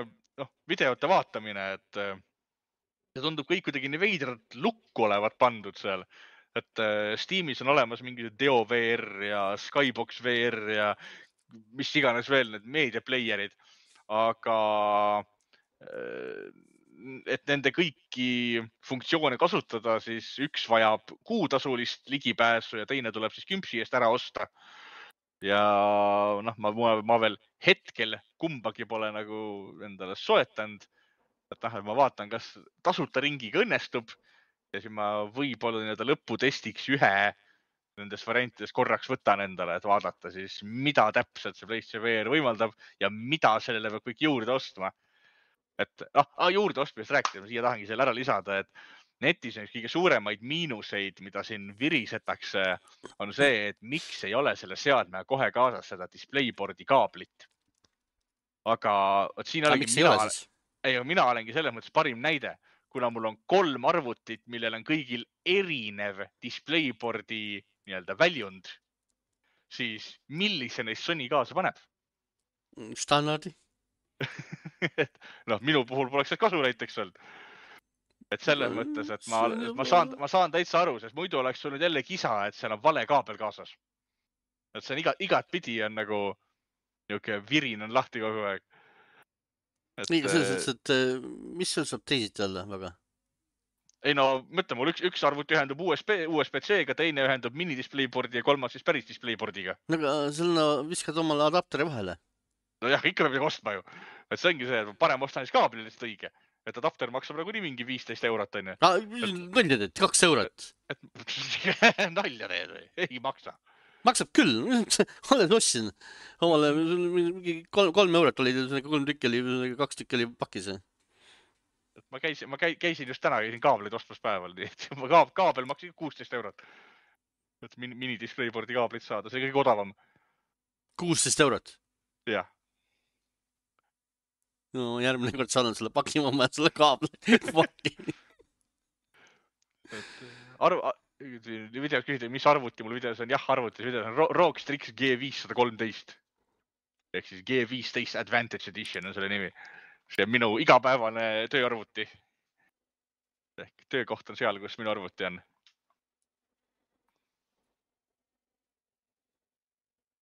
videote vaatamine, et see tundub kõik kuidagi nii veidralt lukku olevat pandud seal. Et Steamis on olemas mingi Deo VR ja Skybox VR ja mis iganes veel need meediaplayerid. Aga et nende kõiki funktsioone kasutada, siis üks vajab kuutasulist ligipääsu ja teine tuleb siis kümpsi eest ära osta. Ja ma veel hetkel kumbagi pole nagu endale soetanud. Et ma vaatan, kas tasuta ringiga õnnestub ja siis ma võib-olla lõputestiks ühe nendest variantidest korraks võtan endale, et vaadata siis, mida täpselt see PlayStation VR võimaldab ja mida sellele peab kõik juurde ostma. Et juurde ostmist rääkida, ma siia tahangi selle ära lisada, et netis on kõige suuremaid miinuseid, mida siin virisetakse, on see, et miks ei ole selle seadme kohe kaasas seda DisplayBoardi kaablit. Aga siin mina olengi selles mõttes parim näide, kuna mul on 3 arvutit, millel on kõigil erinev DisplayBoardi väljund, siis millise neist Sony kaasa paneb? Standardi. Minu puhul poleks see kasu näiteks olnud. Et selles mõttes, et ma saan täitsa aru, sest muidu oleks sul jälle kisa, et seal on vale kaabel kaasas. Et see on igat pidi on nagu niuke virin on lahti kogu aeg. Nii, selles, et mis sul saab teisiti olla väga? Ei mõtle, mul üks arvuti ühendub USB-C-ga, teine ühendub mini-DisplayBoardi ja kolmas siis päris DisplayBoardiga. Aga sul viskad omale adapteri vahele? Jah, ikka peab ostma ju. Et see ongi see, et parem ostan siis kaabli lihtsalt õige. Et adapter maksab nagu nii mingi 15 eurot, on ju. Nalja teed, 2 eurot. Nalja teed või? Ei maksa. Maksab küll. Olen ostsin. Omale 3 eurot oli, 3 tükki oli, 2 tükki oli pakis. Ma käisin just täna, käisin kaableid ostmas päeval. Kaabel maksis 16 eurot. Et mini-DisplayBoardi kaablit saada, see kõige odavam. 16 eurot? Jah. No järgmine kord saadan selle paki, ma mäed selle kaabli paki. Videos küsida, mis arvuti mul videos on? Jah, arvutis videos on ROG Strix G513. Ehk siis G15 Advantage Edition on selle nimi. See on minu igapäevane tööarvuti. Ehk töökoht on seal, kus minu arvuti on.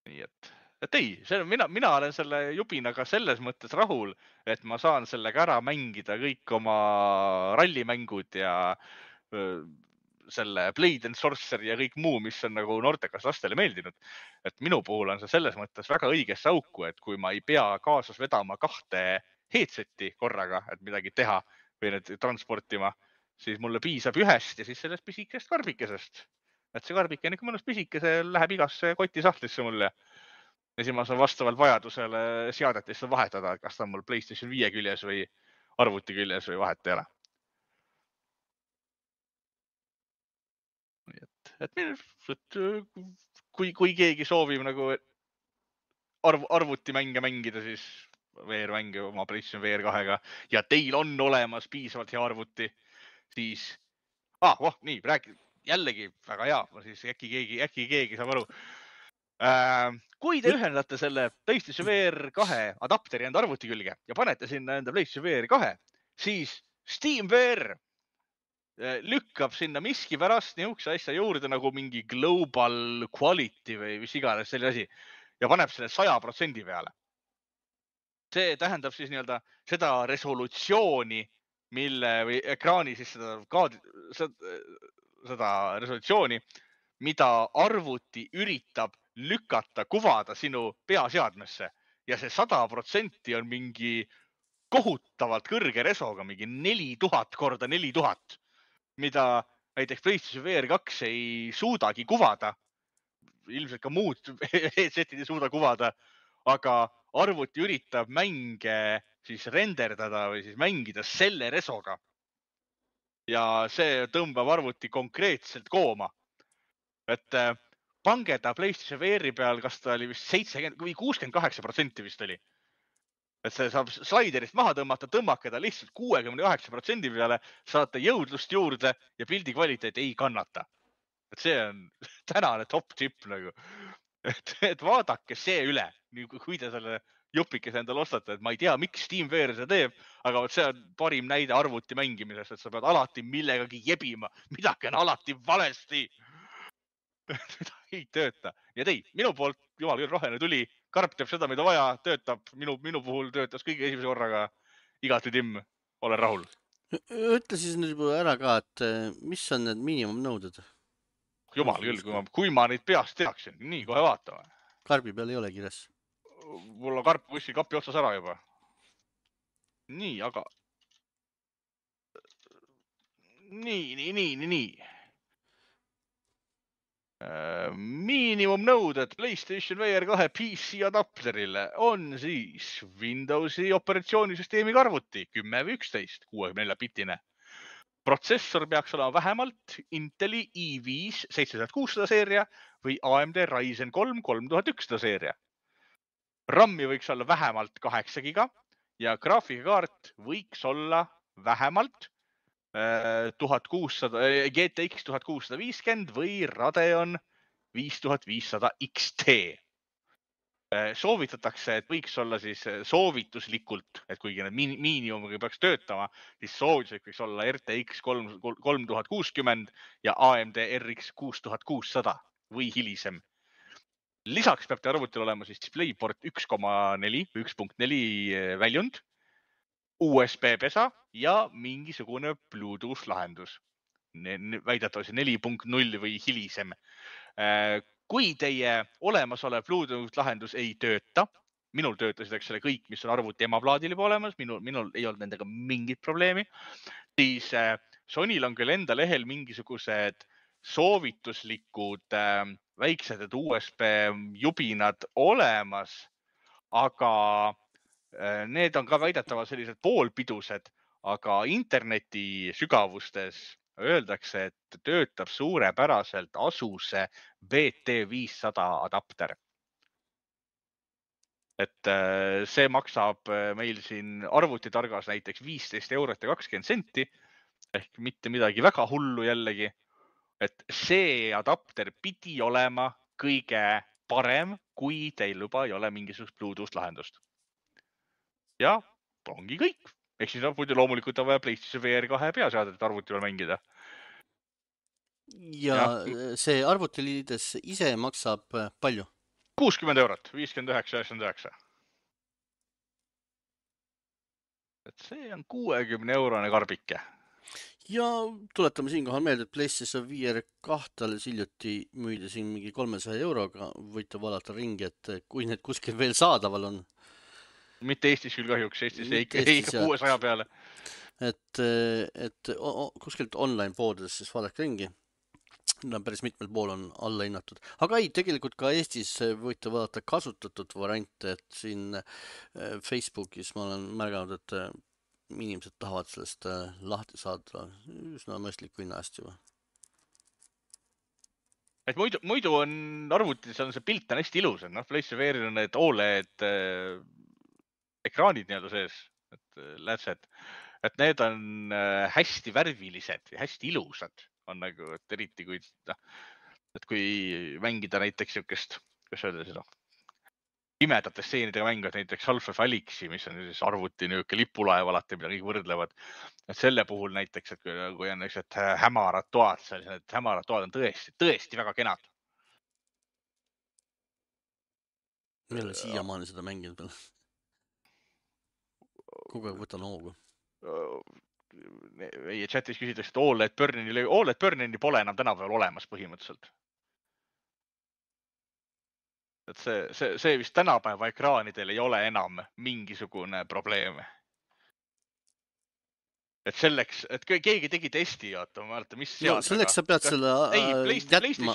Nii et ei, mina olen selle jubinaga selles mõttes rahul, et ma saan sellega ära mängida kõik oma rallimängud ja selle Blade and Sorcery ja kõik muu, mis on nagu noortekas lastele meeldinud. Et minu puhul on see selles mõttes väga õigesse auku, et kui ma ei pea kaasas vedama 2 headseti korraga, et midagi teha või need transportima, siis mulle piisab ühest ja siis sellest pisikest karbikesest. Et see karbike on ikka mõnus pisike, see läheb igasse kotisahtlisse mulle. Ja siis ma saan vastavalt vajadusele seadetesse vahetada, et kas ta on mul PlayStation 5 küljes või arvuti küljes või vahet ei ole. Kui keegi soovib nagu arvutimänge mängida, siis VR-mänge oma PlayStation VR 2-ga ja teil on olemas piisavalt hea arvuti, siis nii, jällegi väga hea, siis äkki keegi saab aru. Kui te ühendate selle PlayStation VR 2 adapteri enda arvuti külge ja panete sinna enda PlayStation VR 2, siis Steam VR lükkab sinna miski pärast niisuguse asja juurde nagu mingi global quality või mis iganes selline asi ja paneb selle 100% peale. See tähendab siis nii-öelda seda resolutsiooni, või ekraani siis seda resolutsiooni, mida arvuti üritab lükata, kuvada sinu peaseadmesse ja see 100% on mingi kohutavalt kõrge resoga, mingi 4000 korda 4000, mida näiteks PlayStation VR 2 ei suudagi kuvada. Ilmselt ka muud headsetid ei suuda kuvada, aga arvuti üritab mänge siis renderdada või siis mängida selle resoga. Ja see tõmbab arvuti konkreetselt kooma. Et pange ta PlayStation VR peal, kas ta oli vist 70 või 68% vist oli. Et see saab slaiderist maha tõmmata, tõmmake ta lihtsalt 69% peale, saate jõudlust juurde ja pildi kvaliteet ei kannata. Et see on tänane top tip nagu. Et vaadake see üle, kui te selle jupikese endale ostate, et ma ei tea, miks Steam VR seda teeb, aga see on parim näide arvuti mängimisest, et sa pead alati millegagi jebima, midagi on alati valesti. Seda ei tööta. Ja minu poolt, jumal küll, roheline tuli, karp teeb seda, mida vaja, töötab. Minu puhul töötas kõige esimese korraga igati timm, olen rahul. Ütle siis nüüd juba ära ka, et mis on need miinimumnõuded? Jumal küll, kui ma neid peast teaksin. Nii, kohe vaatame. Karbi peal ei ole kirjas. Mul on karp kuskil kapi otsas ära juba. Nii, aga... Nii. Miinimumnõuded PlayStation VR 2 PC adapterile on siis Windowsi operatsioonisüsteemi arvuti 10 või 11, 64-bitine. Protsessor peaks olema vähemalt Inteli i5 7600 seeria või AMD Ryzen 3 3100 seeria. RAM-i võiks olla vähemalt 8 giga ja graafikakaart võiks olla vähemalt 1600, GTX 1650 või Radeon 5500 XT. Soovitatakse, et võiks olla siis soovituslikult, et kuigi need miinimumiga peaks töötama, siis soovituslik võiks olla RTX 3060 ja AMD RX 6600 või hilisem. Lisaks peab te arvutil olema siis DisplayPort 1.4 või 1.4 väljund, USB pesa ja mingisugune Bluetooth lahendus. Väidetavasti 4.0 või hilisem. Kui teie olemasolev Bluetooth lahendus ei tööta, minul töötasid selle kõik, mis on arvuti emaplaadil juba olemas, minul ei olnud nendega mingit probleemi, siis Sonyl on küll enda lehel mingisugused soovituslikud väiksed USB jubinad olemas, aga need on ka väidetavalt sellised poolpidused, aga interneti sügavustes öeldakse, et töötab suurepäraselt Asuse BT500 adapter. Et see maksab meil siin arvutitargas näiteks 15 eurot ja 20 senti, ehk mitte midagi väga hullu jällegi. Et see adapter pidi olema kõige parem, kui teil juba ei ole mingisugust Bluetooth lahendust. Ja ongi kõik. Ehk siis muidu loomulikult on vaja PlayStation VR 2 peaseadet arvuti peal mängida. Ja see arvutiliides ise maksab palju? 60 eurot, 59,99. Et see on 60 eurone karbike. Ja tuletame siinkohal meelde, et PlayStation 5 2 alles hiljuti müüdi siin mingi 300 euroga. Võite vaadata ringi, et kui need kuskil veel saadaval on. Mitte Eestis küll kahjuks, Eestis ei Mitte Eestis, ikka 600 peale. Et kuskilt online poodides siis vaadake ringi. Päris mitmel pool on alla hinnatud. Aga ei, tegelikult ka Eestis võite vaadata kasutatud variante, et siin Facebookis ma olen märganud, et inimesed tahavad sellest lahti saada üsna mõistliku hinna eest juba. Et muidu on arvutis on see pilt on hästi ilus, noh, PlayStation VR on need OLED ekraanid nii-öelda sees, et lätsed, et need on hästi värvilised ja hästi ilusad on nagu, et eriti kui, et kui mängida näiteks siukest, kuidas öelda seda, pimedate stseenidega mängud, näiteks Half-Life Alyxi, mis on siis arvuti niisugune lipulaev alati, mida kõik võrdlevad. Et selle puhul näiteks, et kui on niisugused hämarad toad, need hämarad toad on tõesti väga kenad. Ma ei ole siiamaani seda mänginud veel. Kogu aeg võtan hoogu. Meie chatis küsitakse, et OLED Burnini pole enam tänapäeval olemas põhimõtteliselt. Et see vist tänapäeva ekraanidel ei ole enam mingisugune probleem. Et selleks, et keegi tegi testi, ma mäletan, mis seadmega. No selleks sa pead selle jätma.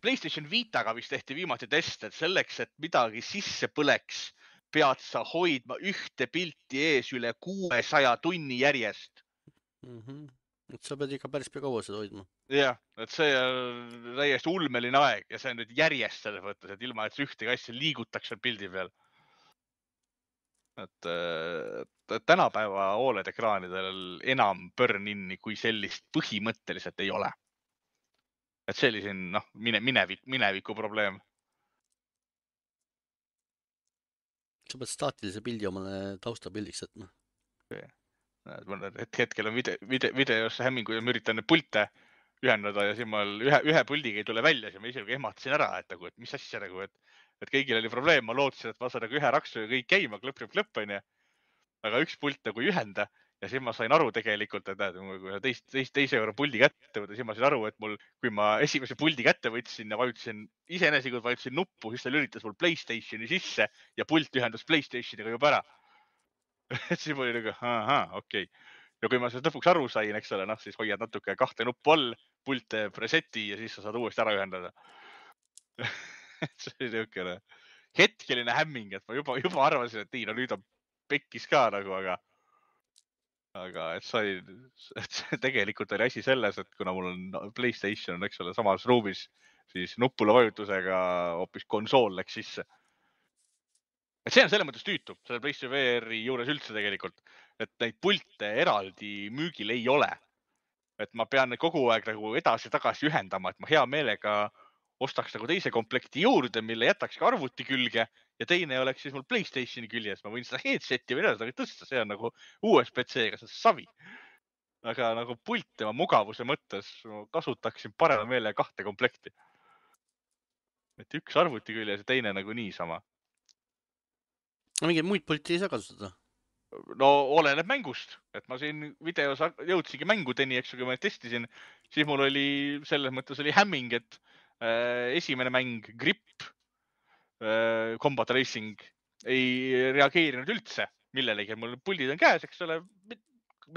PlayStation Vitaga vist tehti viimati test, et selleks, et midagi sisse põleks, pead sa hoidma ühte pilti ees üle 600 tunni järjest. Et sa pead ikka päris kaua seda hoidma. Jah, et see on täiesti ulmeline aeg ja see on nüüd järjest selles mõttes, et ilma, et ühtegi asja liigutakse pildi peal. Et tänapäeva OLED ekraanidel enam burn-in'i kui sellist põhimõtteliselt ei ole. Et see oli siin mineviku probleem. Sa pead staatilise pildi omale taustapildiks jätma. Hetkel on videos hämmingu ja ma üritan pulte ühendada ja siin ma ühe puldiga ei tule välja, siis ma ise ehmatasin ära, et mis asja, et kõigil oli probleem, ma lootsin, et ma saan ühe raksu ja kõik käima, klõpp, on ju. Aga üks pult nagu ei ühenda ja siis ma sain aru tegelikult, et kui teise korra puldi kätte võtta, siis ma sain aru, et kui ma esimese puldi kätte võtsin ja vajutasin nuppu, siis ta lülitas mul PlayStationi sisse ja pult ühendus PlayStationiga juba ära. Et siis mul oli nagu, okei. Ja kui ma sellest lõpuks aru sain, eks ole, siis hoiad natuke 2 nuppu all, pult teeb reseti ja siis sa saad uuesti ära ühendada. See oli niisugune hetkeline hämming, et ma juba arvasin, et nüüd on pekkis ka nagu, aga et tegelikult oli asi selles, et kuna mul on PlayStation, eks ole, samas ruumis, siis nupule vajutusega hoopis konsool läks sisse. Et see on selles mõttes tüütu, selle PlayStation VR-i juures üldse tegelikult, et neid pulte eraldi müügil ei ole. Et ma pean kogu aeg nagu edasi-tagasi ühendama, et ma hea meelega ostaks nagu teise komplekti juurde, mille jätaks ka arvuti külge ja teine oleks siis mul PlayStationi küljes. Ma võin seda headseti või edasi tõsta, see on nagu USB-C-ga, see on savi. Aga nagu pult tema mugavuse mõttes kasutaksin parema meele 2 komplekti. Et üks arvuti küljes ja teine nagu niisama. Mingeid muid pulti ei saa kasutada? No oleneb mängust, et ma siin videos jõudsingi mängudeni, eks kui ma testisin, siis mul oli selles mõttes oli hämming, et esimene mäng Grip Combat Racing ei reageerinud üldse millelegi, mul puldid on käes, eks ole,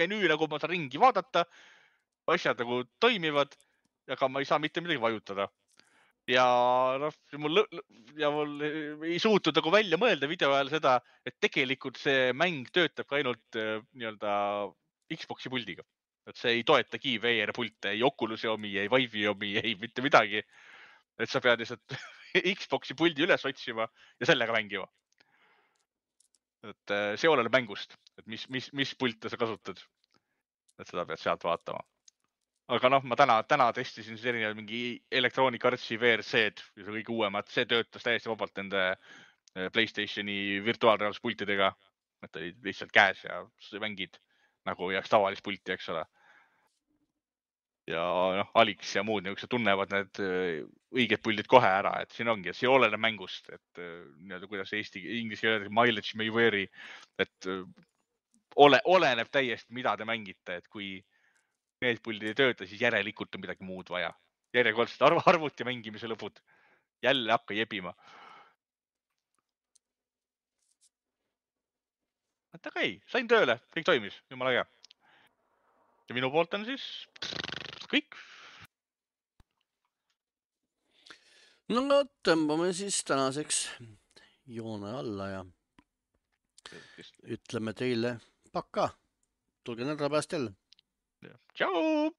menüü nagu ma saan ringi vaadata, asjad nagu toimivad, aga ma ei saa mitte midagi vajutada. Ja mul ei suutnud nagu välja mõelda video ajal seda, et tegelikult see mäng töötab ka ainult nii-öelda Xboxi puldiga. Et see ei toetagi VR-pulte, ei Oculus'i omi, ei Vive'i omi, ei mitte midagi. Et sa pead lihtsalt Xboxi puldi üles otsima ja sellega mängima. Et see oleneb mängust, et mis pulte sa kasutad. Et seda pead sealt vaatama. Aga ma täna testisin siis erinevad mingi Electronic Artsi VRC-d, kõige uuemad, see töötas täiesti vabalt nende PlayStationi virtuaalreaalsuspultidega, et olid lihtsalt käes ja mängid nagu jääks tavalist pulti, eks ole. Ja Alix ja muud niisugused tunnevad need õiged puldid kohe ära, et siin ongi, et see oleneb mängust, et kuidas inglise keeles mileage may vary, et oleneb täiesti, mida te mängite, et kui need puldid ei tööta, siis järelikult on midagi muud vaja. Järjekordselt arvuti mängimise lõpud. Jälle hakka jebima. Aga ei, sain tööle, kõik toimis, jumala hea. Ja minu poolt on siis kõik. No tõmbame siis tänaseks joone alla ja ütleme teile pakka. Tulge nädala pärast jälle. Tšau!